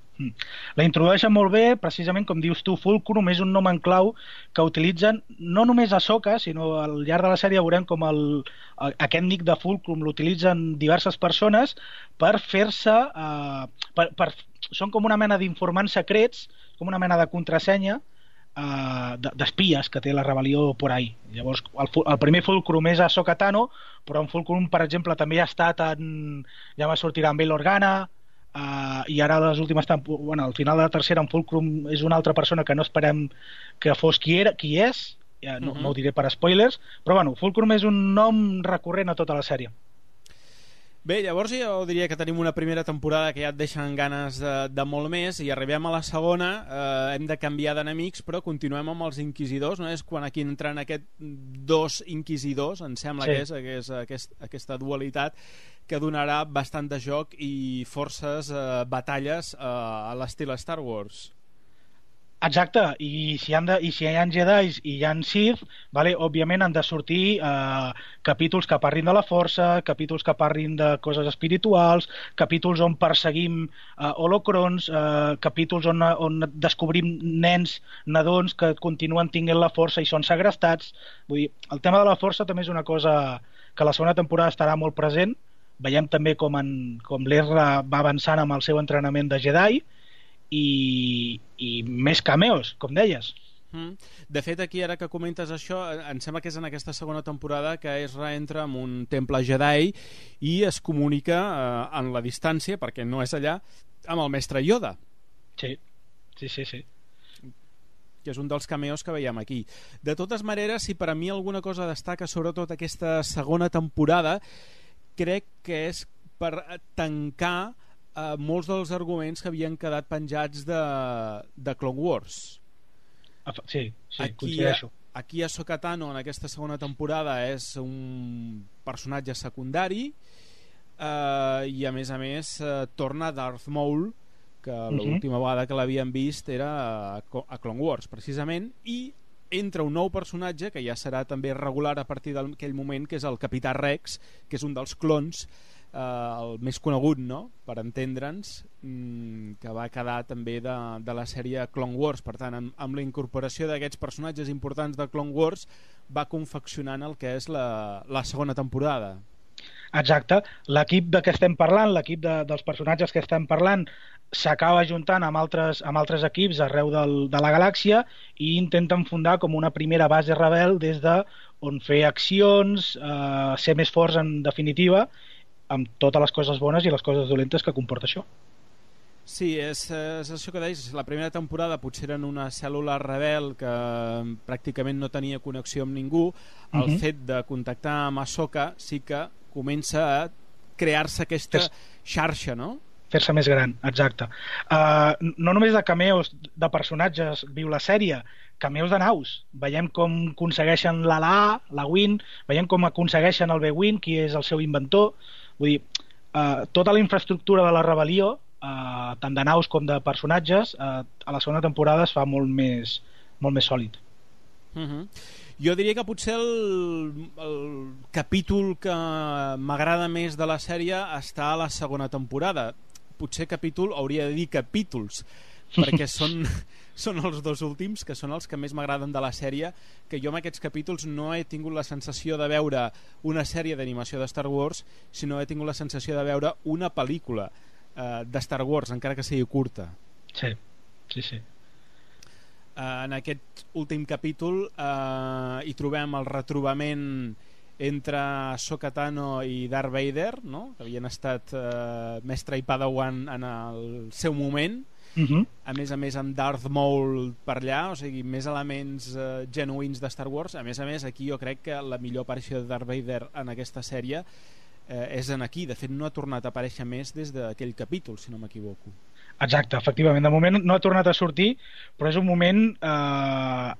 La introdueixen molt bé, precisament com dius tu, Fulcrum és un nom en clau que utilitzen no només Ahsoka, sinó al llarg de la sèrie veurem com aquest nick de Fulcrum l'utilitzen diverses persones per fer-se... són com una mena d'informants secrets, com una mena de contrasenya d'espies que té la rebel·lió por ahí. Llavors, el primer Fulcrum és Ahsoka Tano, però en Fulcrum, per exemple, també ha estat ja va sortir en Bail Organa, i ara les últimes al final de la tercera en Fulcrum és una altra persona que no esperem que fos qui és, no ho diré per spoilers, però bueno, Fulcrum és un nom recurrent a tota la sèrie. Bé, llavors jo diria que tenim una primera temporada que ja et deixen ganes de molt més, i arribem a la segona, hem de canviar d'enemics, però continuem amb els inquisidors, no? És quan aquí entren aquests dos inquisidors, em sembla que és aquesta dualitat que donarà bastant de joc i forces batalles a l'estil Star Wars. Exacte, i si hi ha Jedis i hi ha Sith, vale, òbviament han de sortir capítols que parlin de la força, capítols que parlin de coses espirituals, capítols on perseguim holocrons, capítols on descobrim nens, nadons que continuen tinguent la força i són segrestats. Vull dir, el tema de la força també és una cosa que la segona temporada estarà molt present. Veiem també com l'Ezra va avançant amb el seu entrenament de Jedi, i més cameos, com deies. De fet, aquí ara que comentes això, em sembla que és en aquesta segona temporada que Ezra entra en un temple Jedi i es comunica en la distància, perquè no és allà, amb el mestre Yoda. Sí. Que és un dels cameos que veiem aquí. De totes maneres, si per a mi alguna cosa destaca sobretot aquesta segona temporada, crec que és per tancar molts dels arguments que havien quedat penjats de Clone Wars. Sí, coincideixo. Aquí Ahsoka Tano en aquesta segona temporada és un personatge secundari, i a més torna Darth Maul, que l'última vegada que l'havíem vist era a Clone Wars precisament, i entra un nou personatge que ja serà també regular a partir d'aquell moment, que és el Capità Rex, que és un dels clons, el més conegut, no?, per entendre'ns, que va quedar també de la sèrie Clone Wars. Per tant, amb la incorporació d'aquests personatges importants de Clone Wars va confeccionant el que és la segona temporada. Exacte, l'equip de què estem parlant, l'equip dels personatges que estem parlant, s'acaba ajuntant amb altres equips arreu de la galàxia i intenten fundar com una primera base rebel des d'on fer accions, ser més forts en definitiva, amb totes les coses bones i les coses dolentes que comporta això. Sí, és això que deies, la primera temporada potser eren una cèl·lula rebel que pràcticament no tenia connexió amb ningú. El fet de contactar amb Ahsoka sí que comença a crear-se aquesta xarxa, no? Fer-se més gran, exacte. No només de cameos de personatges viu la sèrie, cameos de naus. Veiem com aconsegueixen la Win, veiem com aconsegueixen el B-Wing, qui és el seu inventor. Vull dir, tota la infraestructura de la rebel·lió, tant de naus com de personatges, a la segona temporada es fa molt més sòlid. Jo diria que potser el capítol que m'agrada més de la sèrie està a la segona temporada. Potser capítol, hauria de dir capítols, perquè són els dos últims, que són els que més m'agraden de la sèrie, que jo amb aquests capítols no he tingut la sensació de veure una sèrie d'animació de Star Wars, sinó he tingut la sensació de veure una pel·lícula de Star Wars, encara que sigui curta. Sí. En aquest últim capítol hi trobem el retrobament entre Ahsoka Tano i Darth Vader, no?, que havien estat mestre i padawan en el seu moment. A més amb Darth Maul per allà, o sigui, més elements genuïns de Star Wars. A més, aquí jo crec que la millor aparició de Darth Vader en aquesta sèrie és en aquí. De fet, no ha tornat a aparèixer més des d'aquell capítol, si no m'equivoco. Exacte, efectivament. De moment no ha tornat a sortir, però és un moment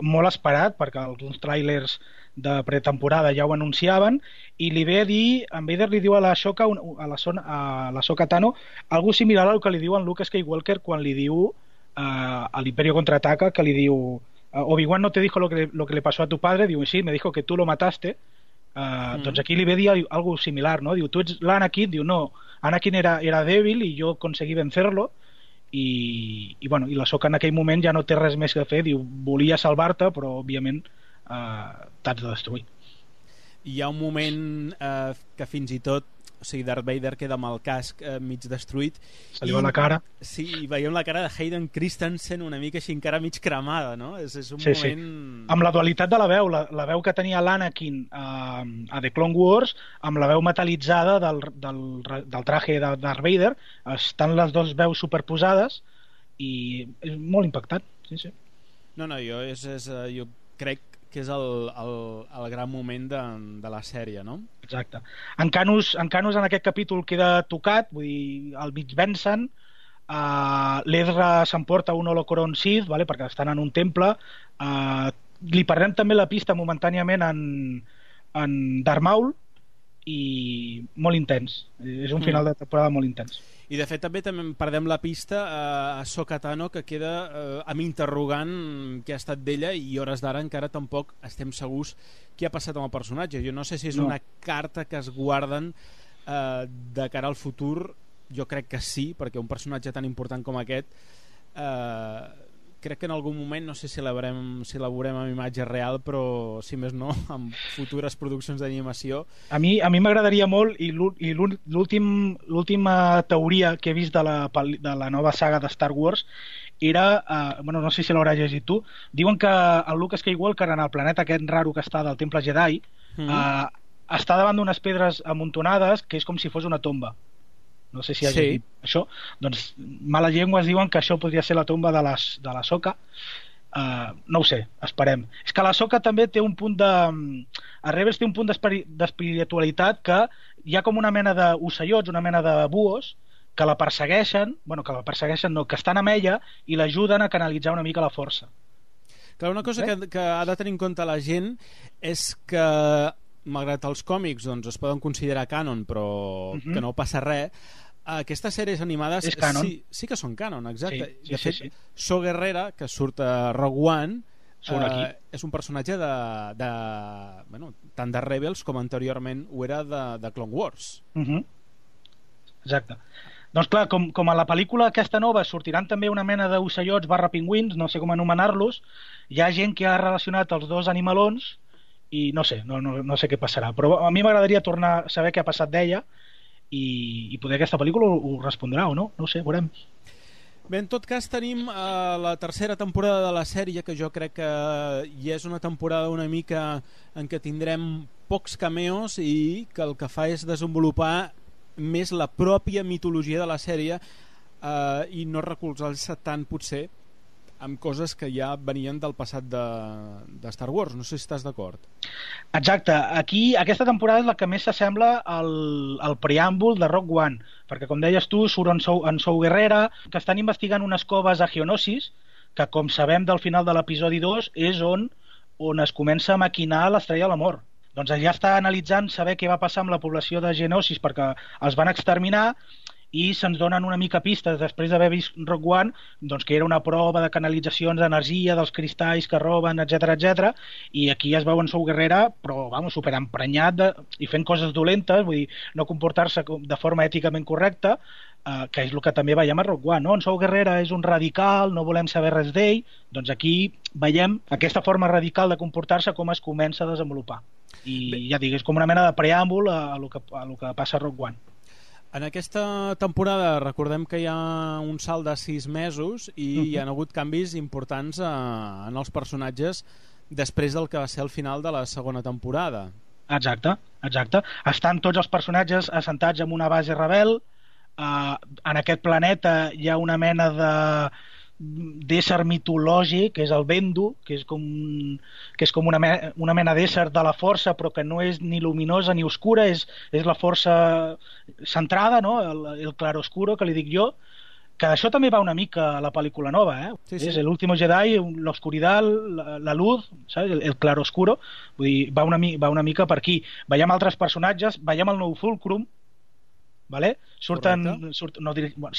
molt esperat, perquè alguns tràilers de pretemporada ja ho anunciaven, i li ve a dir, en Vader li diu a la Ahsoka Tano algo similar al que li diu en Luke Skywalker quan li diu a l'Imperio Contraataca, que li diu Obi-Wan no te dijo lo que le pasó a tu padre, diu, sí, me dijo que tú lo mataste. Doncs aquí li ve a dir algo similar, no? Diu, tu ets l'Anakin? Diu, no, Anakin era débil i jo conseguí vencerlo, i l'Ahsoka en aquell moment ja no té res més que fer, diu, volia salvar-te, però òbviament t'has de destruir. Hi ha un moment que fins i tot, o sigui, Darth Vader queda amb el casc mig destruït. Se li va la cara. Sí, i veiem la cara de Hayden Christensen una mica així encara mig cremada, no? És un moment... Sí. Amb la dualitat de la veu, la veu que tenia l'Anakin a The Clone Wars, amb la veu metal·litzada del traje de Darth Vader, estan les dues veus superposades i és molt impactant. Sí. No, jo crec que és el gran moment de la sèrie, no? Exacte. En Canus en aquest capítol queda tocat, vull dir, al mig vencen, l'Ezra s'emporta un Holocron Sith, vale, perquè estan en un temple, li perdem també la pista momentàniament en Darth Maul, i molt intens. És un final de temporada molt intens. I de fet també perdem la pista a Ahsoka Tano, que queda amb interrogant què ha estat d'ella, i hores d'ara encara tampoc estem segurs què ha passat amb el personatge. Jo no sé si és una carta que es guarden de cara al futur. Jo crec que sí, perquè un personatge tan important com aquest crec que en algun moment, no sé si la veurem amb imatge real, però si més no, amb futures produccions d'animació. A mi m'agradaria molt, i l'última teoria que he vist de la nova saga de Star Wars era, no sé si l'hauràs llegit tu, diuen que el Luke Skywalker en el planeta aquest raro que està del Temple Jedi està davant d'unes pedres amuntonades que és com si fos una tomba. No sé si has dit això. Doncs males llengües diuen que això podria ser la tomba de l'Ahsoka. No ho sé, esperem. És que l'Ahsoka també té un punt a Rebels té un punt d'espiritualitat, que hi ha com una mena d'ocellots, una mena de buos que la persegueixen, que estan amb ella i l'ajuden a canalitzar una mica la força. Clar, una cosa que ha de tenir en compte la gent és que, malgrat els còmics doncs, es poden considerar canon, però que no passa res, aquestes sèries animades sí que són canon, exacte. De fet, So Guerrera, que surt a Rogue One, és un personatge tant de Rebels com anteriorment ho era de Clone Wars. Exacte. Doncs clar, com a la pel·lícula aquesta nova sortiran també una mena d'ocellots /pingüins, no sé com anomenar-los, hi ha gent que ha relacionat els dos animalons i no sé què passarà, però a mi m'agradaria tornar a saber què ha passat d'ella i poder aquesta pel·lícula ho respondrà o no, no ho sé, veurem. Bé, en tot cas tenim la tercera temporada de la sèrie, que jo crec que ja és una temporada una mica en què tindrem pocs cameos i que el que fa és desenvolupar més la pròpia mitologia de la sèrie i no recolzar-se tant potser amb coses que ja venien del passat de Star Wars. No sé si estàs d'acord. Exacte. Aquí, aquesta temporada és la que més s'assembla al preàmbul de Rogue One, perquè, com deies tu, surt en Saw Gerrera, que estan investigant unes coves a Geonosis, que, com sabem del final de l'episodi 2, és on es comença a maquinar l'Estrella de la Mort. Doncs allà està analitzant saber què va passar amb la població de Geonosis, perquè els van exterminar, i se'ns donen una mica pistes després d'haver vist Rogue One, doncs que era una prova de canalitzacions d'energia, dels cristalls que roben, etc. I aquí es veu en Saw Gerrera, però superemprenyat i fent coses dolentes, vull dir, no comportar-se de forma èticament correcta, que és el que també veiem a Rogue One, no? En Saw Gerrera és un radical, no volem saber res d'ell, doncs aquí veiem aquesta forma radical de comportar-se com es comença a desenvolupar. I ja dic, és com una mena de preàmbul a lo que passa a Rogue One. En aquesta temporada recordem que hi ha un salt de 6 mesos i hi ha hagut canvis importants en els personatges després del que va ser el final de la segona temporada. Exacte. Estan tots els personatges assentats en una base rebel. En aquest planeta hi ha una mena d'ésser mitològic, que és el Bendu, que és com una mena d'ésser de la força, però que no és ni luminosa ni oscura, és la força centrada, no? El claroscuro, que li dic jo, que d'això també va una mica a la pel·lícula nova, Sí. És el último Jedi, l'oscuridad, la luz, ¿sabes? El claroscuro, vull dir, va una mica per aquí. Veiem altres personatges, veiem el nou Fulcrum, vale? Si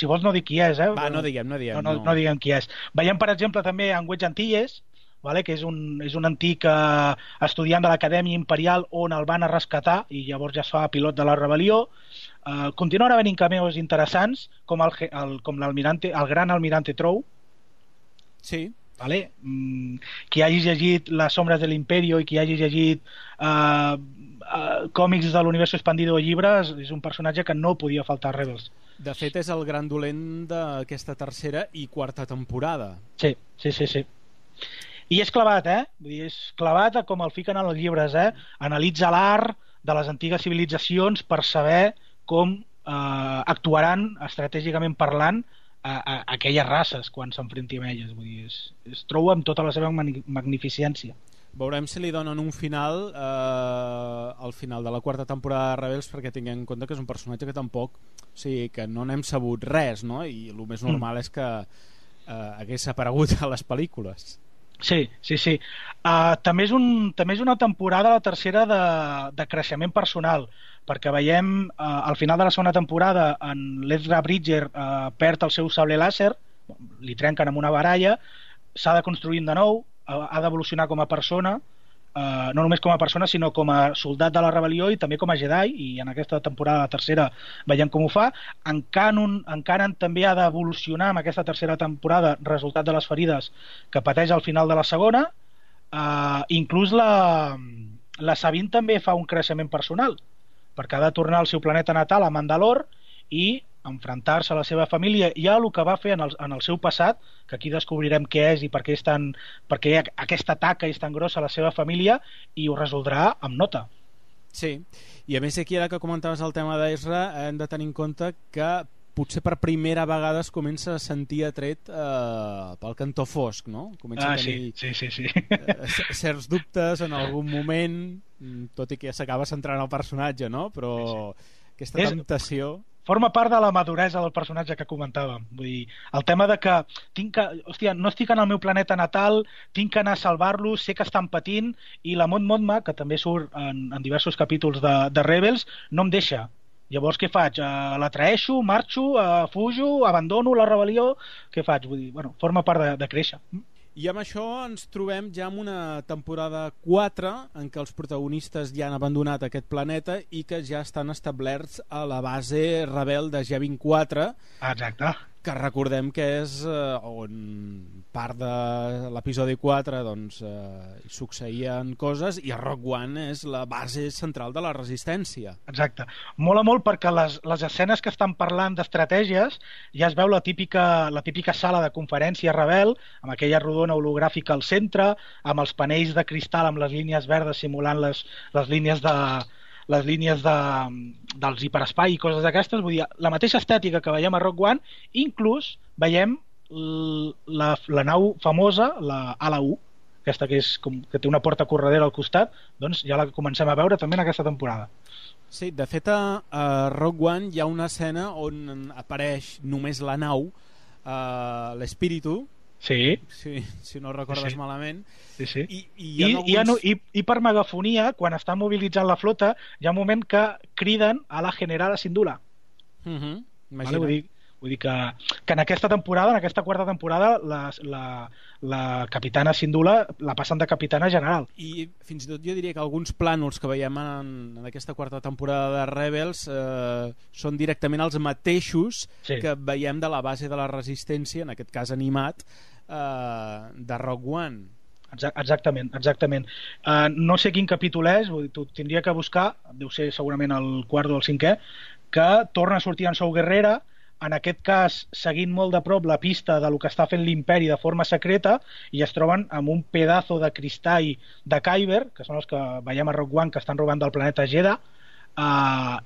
vols no dic qui és, Va, no diguem. No diguem qui és. Veiem, per exemple, també en Wedge Antilles, vale? Que és un antic estudiant de l'Acadèmia Imperial on el van a rescatar i llavors ja es fa pilot de la rebel·lió. Continuen havent cameos interessants com el gran almirante Trow. Sí. Vale? Qui hagi llegit Les sombres de l'Imperio i qui hagi llegit còmics de l'univers expandido o llibres, és un personatge que no podia faltar a Rebels. De fet, és el gran dolent d'aquesta tercera i quarta temporada. Sí. I és clavat, Vull dir, és clavat com el fiquen en els llibres, Analitza l'art de les antigues civilitzacions per saber com actuaran estratègicament parlant aquelles races quan s'enfrenti amb elles. Vull dir, es troba amb tota la seva magnificència. Veurem si li donen un final al final de la quarta temporada de Rebels, perquè tinguem en compte que és un personatge que tampoc, o sigui, que no n'hem sabut res, no? I el més normal és que hagués aparegut a les pel·lícules. Sí. També és una temporada, la tercera, de creixement personal, perquè veiem al final de la segona temporada en l'Ezra Bridger perd el seu sable làser, li trenquen amb una baralla, s'ha de construir de nou, ha d'evolucionar com a persona, no només com a persona sinó com a soldat de la rebel·lió i també com a Jedi, i en aquesta temporada, la tercera, veiem com ho fa. En Kanan també ha d'evolucionar amb aquesta tercera temporada, resultat de les ferides que pateix al final de la segona. Inclús la Sabine també fa un creixement personal, perquè ha de tornar al seu planeta natal, a Mandalore, i enfrontar-se a la seva família i a el que va fer en el seu passat, que aquí descobrirem què és i per què aquesta taca és tan grossa a la seva família, i ho resoldrà amb nota. Sí, i a més aquí, ara que comentaves el tema d'Ezra, hem de tenir en compte que potser per primera vegada es comença a sentir atret pel cantó fosc, no? Comença a tenir sí. certs dubtes en algun moment, tot i que ja s'acaba centrant el personatge, no? Però aquesta temptació... Forma part de la maduresa del personatge que comentàvem. Vull dir, el tema de que no estic en el meu planeta natal, tinc que anar a salvar-los, sé que estan patint, i la Mon Mothma, que també surt en diversos capítols de Rebels, no em deixa. Llavors què faig? La traeixo, marxo, fujo, abandono la rebel·lió? Què faig? Vull dir, forma part de créixer. I amb això ens trobem ja en una temporada 4 en què els protagonistes ja han abandonat aquest planeta i que ja estan establerts a la base rebel de G24. Exacte. Que recordem que és on part de l'episodi 4 doncs, hi succeïen coses, i a Rogue One és la base central de la resistència. Exacte. Mola molt perquè les escenes que estan parlant d'estratègies ja es veu la típica sala de conferència rebel, amb aquella rodona hologràfica al centre, amb els panells de cristal amb les línies verdes simulant les línies dels hiperespai i coses d'aquestes. Vull dir, la mateixa estètica que veiem a Rogue One, inclús veiem la nau famosa, la Ala-U, aquesta que té una porta corredera al costat, doncs ja la comencem a veure també en aquesta temporada. Sí, de fet a Rogue One hi ha una escena on apareix només la nau, l'Espíritu. Sí. Si no recordes malament. Sí. I per megafonia, quan està mobilitzant la flota, hi ha un moment que criden a la Generala Syndulla. Imagina't. Vull dir que en aquesta temporada, en aquesta quarta temporada, la capitana Syndulla la passen de capitana general. I fins i tot jo diria que alguns plànols que veiem en aquesta quarta temporada de Rebels són directament els mateixos que veiem de la base de la resistència, en aquest cas animat, de Rogue One. Exactament. No sé quin capítol és, t'ho tindria que buscar, deu ser segurament el quart o el cinquè, que torna a sortir en Saw Gerrera, en aquest cas seguint molt de prop la pista de lo que està fent l'Imperi de forma secreta, i es troben amb un pedazo de cristall de Kyber, que són els que veiem a Rogue One, que estan robant del planeta Jedha,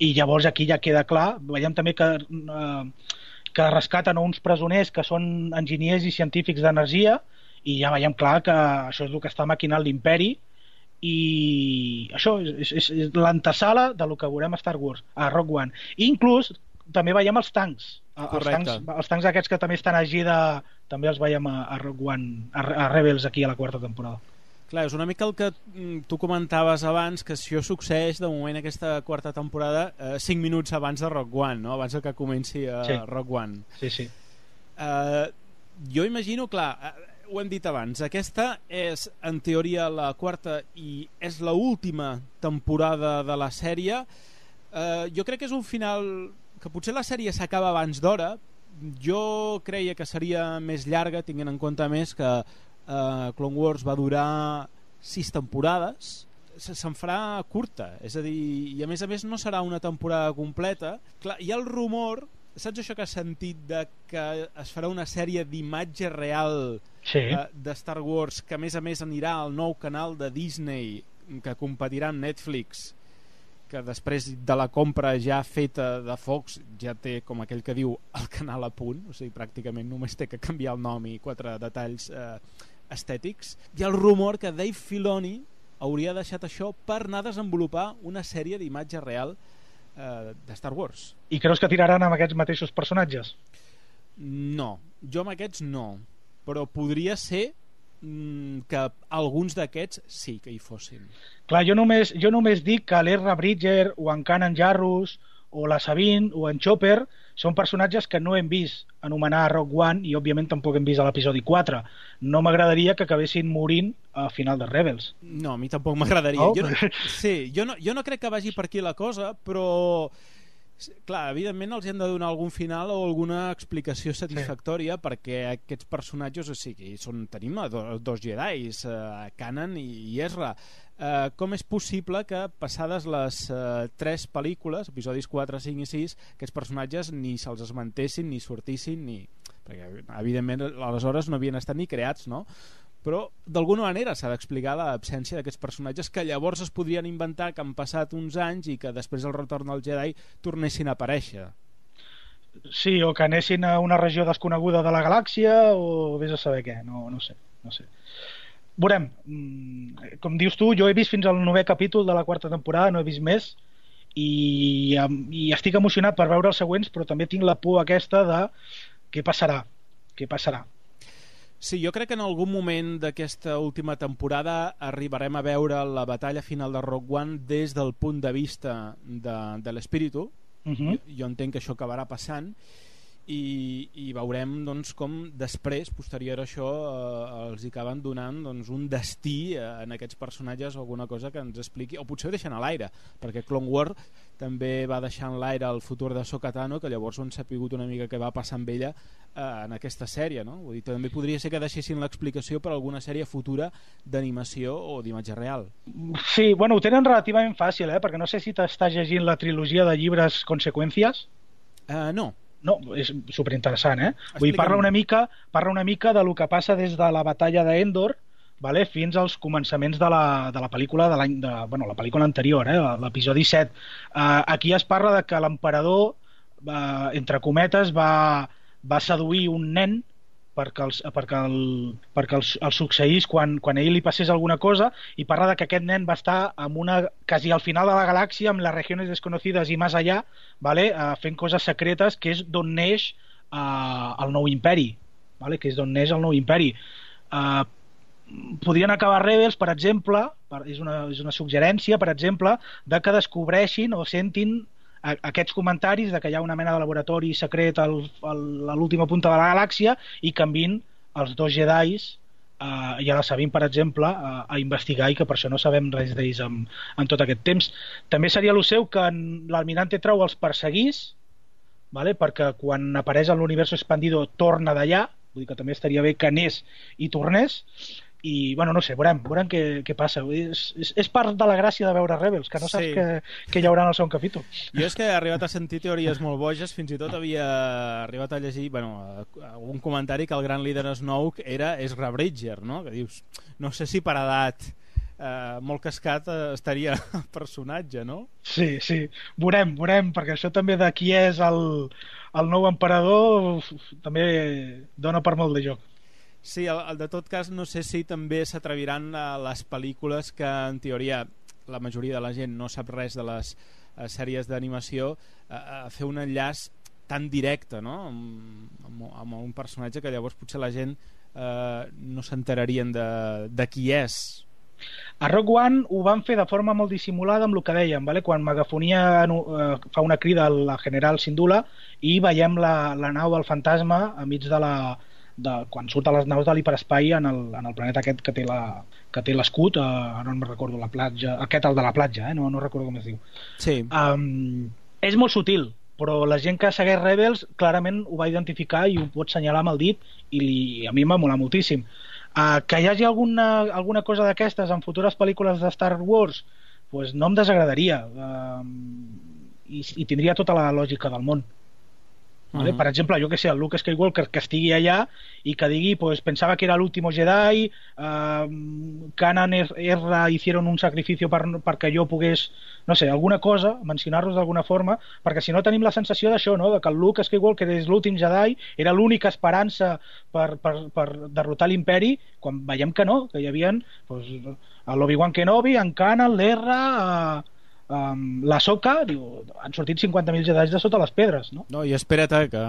i llavors aquí ja queda clar. Veiem també que rescaten uns presoners que són enginyers i científics d'energia, i ja veiem clar que això és el que està maquinant l'Imperi, i això és l'antesala de lo que veurem a Star Wars, a Rogue One. I inclús també veiem els tancs Els tancs aquests que també estan a Gira també els veiem a Rogue One, a Rebels aquí a la quarta temporada. Clar, és una mica el que tu comentaves abans, que això succeeix de moment aquesta quarta temporada 5 minuts abans de Rogue One, no? Abans que comenci Rogue One. Sí. Jo imagino, clar, ho hem dit abans, aquesta és en teoria la quarta i és l'última temporada de la sèrie. Jo crec que és un final que potser la sèrie s'acaba abans d'hora. Jo creia que seria més llarga, tinguent en compte més que Clone Wars va durar 6 temporades. Se'n farà curta, és a dir, i a més no serà una temporada completa. Clar, hi ha el rumor, saps això que has sentit, de que es farà una sèrie d'imatge real de Star Wars, que a més anirà al nou canal de Disney, que competirà amb Netflix, que després de la compra ja feta de Fox ja té, com aquell que diu, el canal a punt, o sigui, pràcticament només té que canviar el nom i 4 detalls estètics. Hi ha el rumor que Dave Filoni hauria deixat això per anar a desenvolupar una sèrie d'imatge real de Star Wars. I creus que tiraran amb aquests mateixos personatges? No, jo amb aquests no, però podria ser que alguns d'aquests sí que hi fossin. Clar, jo només dic que l'Ezra Bridger o en Kanan Jarrus o la Sabine o en Chopper són personatges que no hem vist anomenar a Rogue One i òbviament tampoc hem vist a l'episodi 4. No m'agradaria que acabessin morint al final de Rebels. No, a mi tampoc m'agradaria. Oh. Jo no crec que vagi per aquí la cosa, però clar, evidentment els hem de donar algun final o alguna explicació satisfactòria perquè aquests personatges, o sigui, tenim dos Jedis, Kanan i Ezra. Com és possible que passades les 3 pel·lícules, episodis 4, 5 i 6, aquests personatges ni se'ls esmentessin, ni sortissin, perquè evidentment aleshores no havien estat ni creats, no? Però d'alguna manera s'ha d'explicar l'absència d'aquests personatges que llavors es podrien inventar que han passat uns anys i que després del retorn del Jedi tornessin a aparèixer. Sí, o que anessin a una regió desconeguda de la galàxia o vés a saber què, no sé. Veurem, com dius tu, jo he vist fins al 9è capítol de la quarta temporada, no he vist més i estic emocionat per veure els següents, però també tinc la por aquesta de què passarà. Sí, jo crec que en algun moment d'aquesta última temporada arribarem a veure la batalla final de Rogue One des del punt de vista de l'espíritu. Jo entenc que això acabarà passant i veurem doncs, com després, posterior a això, els acaben donant doncs, un destí en aquests personatges o alguna cosa que ens expliqui, o potser ho deixen a l'aire, perquè Clone Wars també va deixar en l'aire el futur de Ahsoka Tano, que llavors ho han sapigut una mica què va passar amb ella en aquesta sèrie, no? Vull dir, també podria ser que deixessin l'explicació per alguna sèrie futura d'animació o d'imatge real. Sí, bueno, ho tenen relativament fàcil, perquè no sé si t'estàs llegint la trilogia de llibres Conseqüències. No, és superinteressant, Vull dir, parla una mica de lo que passa des de la batalla d'Endor, vale, fins als començaments de la pel·lícula de la pel·lícula anterior, l'episodi 7. Aquí es parla de que l'emperador, entre cometes, va seduir un nen perquè el succeís quan a ell li passés alguna cosa, i parla de que aquest nen va estar quasi al final de la galàxia, amb les regions desconocides i més allà, vale, fent coses secretes, que és d'on neix el nou imperi, vale, que és d'on neix el nou imperi. Podrien acabar Rebels, per exemple, és una suggerència, per exemple, de que descobreixin o sentin aquests comentaris de que hi ha una mena de laboratori secret a l'última punta de la galàxia i que envien els 2 Jedis i a la Sabine, per exemple, a investigar, i que per això no sabem res d'ells en tot aquest temps. També seria el seu que l'almirante Trau els perseguís, vale? Perquè quan apareix en l'univers expandido torna d'allà, vull dir que també estaria bé que anés i tornés. I, bueno, no sé, veurem què passa. És part de la gràcia de veure Rebels, que no saps què hi haurà en el segon capítol. Jo és que he arribat a sentir teories molt boges, fins i tot havia arribat a llegir un comentari que el gran líder Snoke era Ezra Bridger, no? Que dius, no sé si per edat molt cascat estaria el personatge, no? Sí, veurem, perquè això també de qui és el nou emperador també dona per molt de joc. Sí, de tot cas no sé si també s'atreviran a les pel·lícules que en teoria la majoria de la gent no sap res de les sèries d'animació a fer un enllaç tan directe, no? Amb un personatge que llavors potser la gent no s'enterarien de qui és. A Rogue One ho van fer de forma molt dissimulada amb el que dèiem, vale? Quan Megafonia fa una crida a la General Syndulla i veiem la nau del fantasma a mig quan surten les naus de l'hiperespai en el planeta aquest que té l'escut, no me'n recordo la platja, aquest el de la platja, no recordo com es diu. Sí. És molt sutil, però la gent que segueix Rebels clarament ho va identificar i ho pot senyalar amb el dit i a mi m'ha molat moltíssim. Que hi hagi alguna cosa d'aquestes en futures pel·lícules de Star Wars, pues no em desagradaria, i tindria tota la lògica del món. Vale? Per exemple, jo que sé, el Luke Skywalker que estigui allà i que digui, pues pensaba que era l'último Jedi, Kanan Erra hicieron un sacrificio perquè jo pogués, no sé, alguna cosa, mencionar-los d'alguna forma, perquè si no tenim la sensació d'això, no? De que el Luke Skywalker és l'últim Jedi, era l'única esperança per derrotar l'imperi, quan veiem que no, que hi havia pues, l'Obi-Wan Kenobi, en Kanan, l'Erra, la Soca, han sortit 50.000 Jedis de sota les pedres, no? No, i espera't, que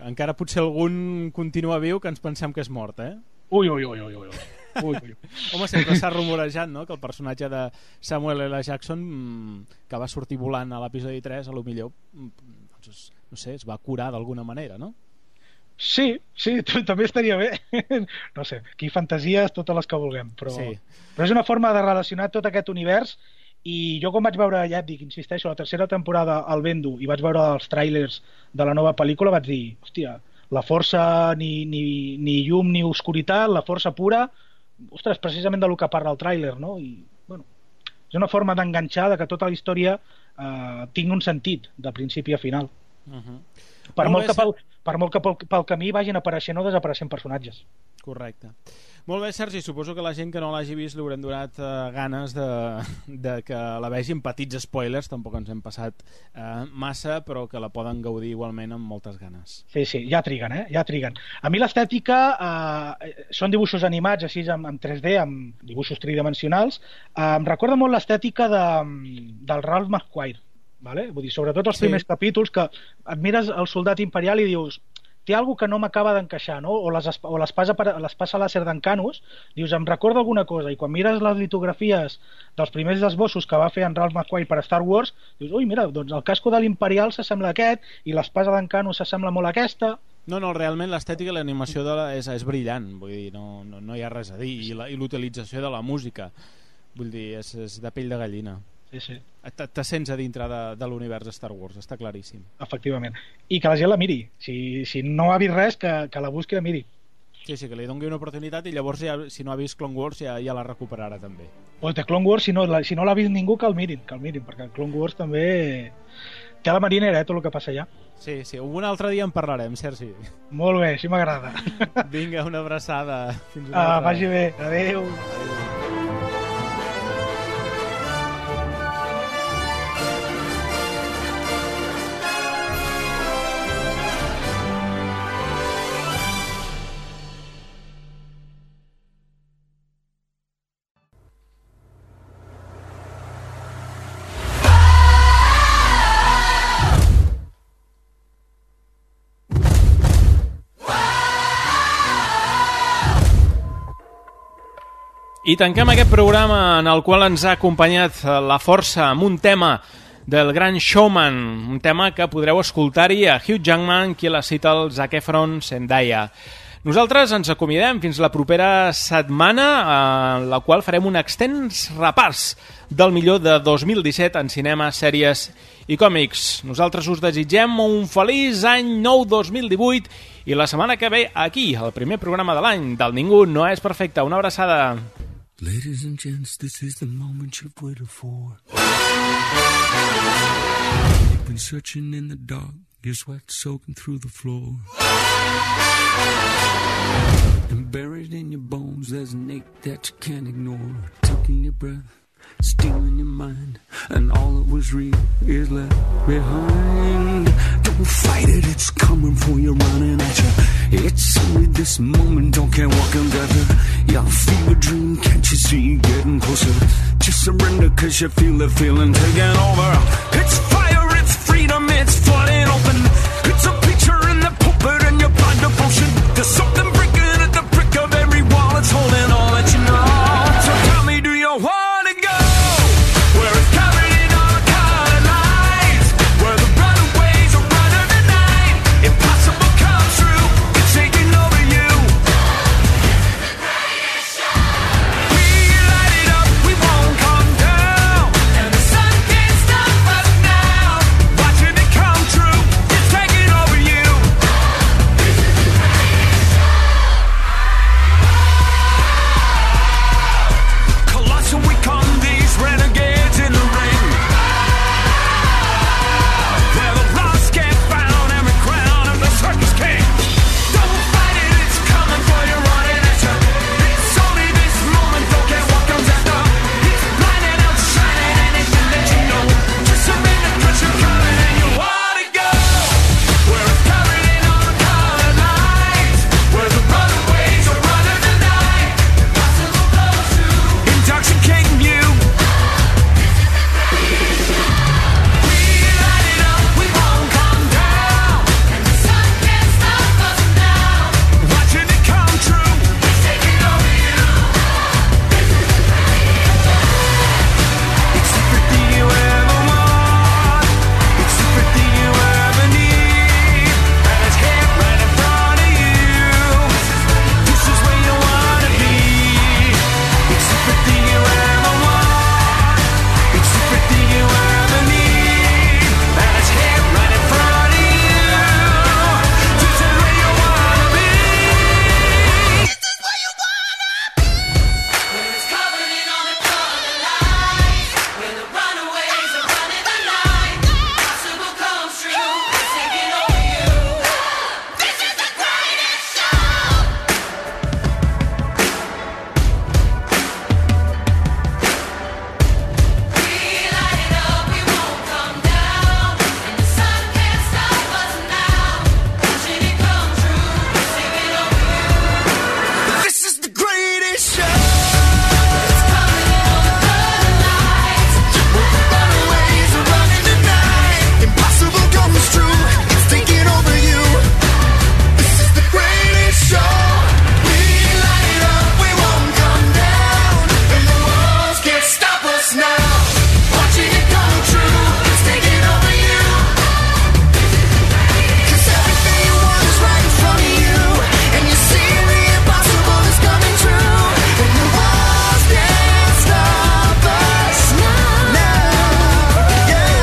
encara potser algun continua viu que ens pensem que és mort, eh? Ui. Home, sempre s'ha rumorejat, no?, que el personatge de Samuel L. Jackson, que va sortir volant a l'episodi 3, a lo millor, doncs, no sé, es va curar d'alguna manera, no? Sí, també estaria bé. No sé, aquí fantasies totes les que vulguem, però és una forma de relacionar tot aquest univers. I jo quan vaig veure, ja et dic, insisteixo, la tercera temporada al Bendu i vaig veure els tràilers de la nova pel·lícula, vaig dir, hòstia, la força ni llum ni oscuritat, la força pura, ostres, precisament del que parla el tràiler, no? I, bueno, és una forma d'enganxar de que tota la història tingui un sentit de principi a final. Per molt que pel camí vagin apareixent o desapareixent personatges. Correcte. Molt bé, Sergi, suposo que la gent que no l'hagi vist li haurem donat ganes de que la vegin. Petits spoilers, tampoc ens hem passat massa, però que la poden gaudir igualment amb moltes ganes. Sí, ja triguen, ja triguen. A mi l'estètica són dibuixos animats així en 3D, amb dibuixos tridimensionals. Em recorda molt l'estètica del Ralph McQuarrie, vale? Vull dir, sobretot els primers capítols, que et mires el soldat imperial i dius, té alguna que no m'acaba d'encaixar, no? O l'espasa làser d'Encanus, dius, em recorda alguna cosa, i quan mires les litografies dels primers esbossos que va fer en Ralph McQuarrie per Star Wars, dius, ui, mira, doncs el casco de l'Imperial s'assembla a aquest i l'espasa d'Encanus s'assembla molt a aquesta. No, realment l'estètica i l'animació és brillant, vull dir, no hi ha res a dir, i l'utilització de la música, vull dir, és de pell de gallina. Sí. Te sents a dintre de l'univers de Star Wars, està claríssim. Efectivament. I que la gent la miri. Si no ha vist res, que la busqui i la miri. Sí, que li doni una oportunitat i llavors, si no ha vist Clone Wars, ja la recuperarà també. Pues de Clone Wars, si no l'ha vist ningú, que el mirin, perquè Clone Wars també té a la marinera, tot el que passa allà. Sí, un altre dia en parlarem, Sergi. Molt bé, així m'agrada. Vinga, una abraçada. Fins una altra. Vagi bé, adéu. I tanquem aquest programa en el qual ens ha acompanyat la força amb un tema del Gran Showman, un tema que podreu escoltar-hi a Hugh Jackman, qui la cita el Zac Efron, Zendaya. Nosaltres ens acomiadem fins la propera setmana, en la qual farem un extens repàs del millor de 2017 en cinema, sèries i còmics. Nosaltres us desitgem un feliç any nou 2018 i la setmana que ve aquí, el primer programa de l'any del Ningú no és perfecte. Una abraçada. Ladies and gents, this is the moment you've waited for. You've been searching in the dark, your sweat soaking through the floor. And buried in your bones, there's an ache that you can't ignore. Taking your breath, stealing your mind, and all that was real is left behind. Don't fight it, it's coming for you, running at you. It's only this moment, don't care what can gather. Your fever dream, can't you see getting closer? Just surrender, cause you feel the feeling taking over. It's fire, it's freedom, it's flooding open. It's There's something breaking at the brick of every wall. It's holding all that you know. So tell me, do you want to go where it's covered in all colored lights, where the runaways are running the night? Impossible comes true, it's taking over you. We light it up, we won't come down, and the sun can't stop us now. Watching it come true, it's taking over you. Colossal, we come these renegades in the ring, where the lost get found and the crown of the circus king. Don't fight it, it's coming for you, running at you. It's only this moment, don't care what comes after. It's blinding out, shining, and it can let you know. Just surrender, 'cause you're coming and you wanna go where it's covered in all the colored lights, where the runaways are running the night. Impossible goes through, intoxicating you. We light it up, we won't come down, and the sun can't stop us now. Watching it come true, it's taking over you. It's everything you ever want, it's everything you ever need, and it's here right in front of you. This is where you wanna be. It's everything you ever want, it's everything you ever need, and it's here right in front of you. This is where you wanna be. This is where you wanna be. Where it's covered in all the colored lights, where the runaways are running the night. Impossible comes true, it's taking over you. This is the greatest show. We light it up, we won't come down, and the sun can't stop us now. Watching it come true, it's taking over you. This is the greatest show. It's covered in all the colored lights, where the runaways are running the night. Impossible comes true, it's taking over you. This is the greatest show. We light it up, we won't come down, and the walls can't stop us now. Watching it come true, it's taking over you. 'Cause everything you want is right in front of you, and you see the impossible is coming true, and the walls can't stop us now. Yeah.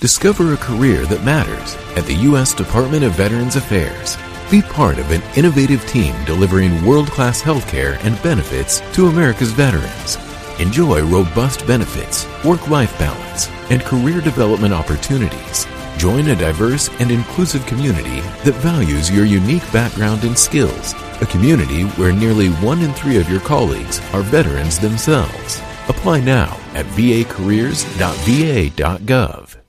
Discover a career that matters at the U.S. Department of Veterans Affairs. Be part of an innovative team delivering world-class healthcare and benefits to America's veterans. Enjoy robust benefits, work-life balance, and career development opportunities. Join a diverse and inclusive community that values your unique background and skills. A community where nearly 1 in 3 of your colleagues are veterans themselves. Apply now at vacareers.va.gov.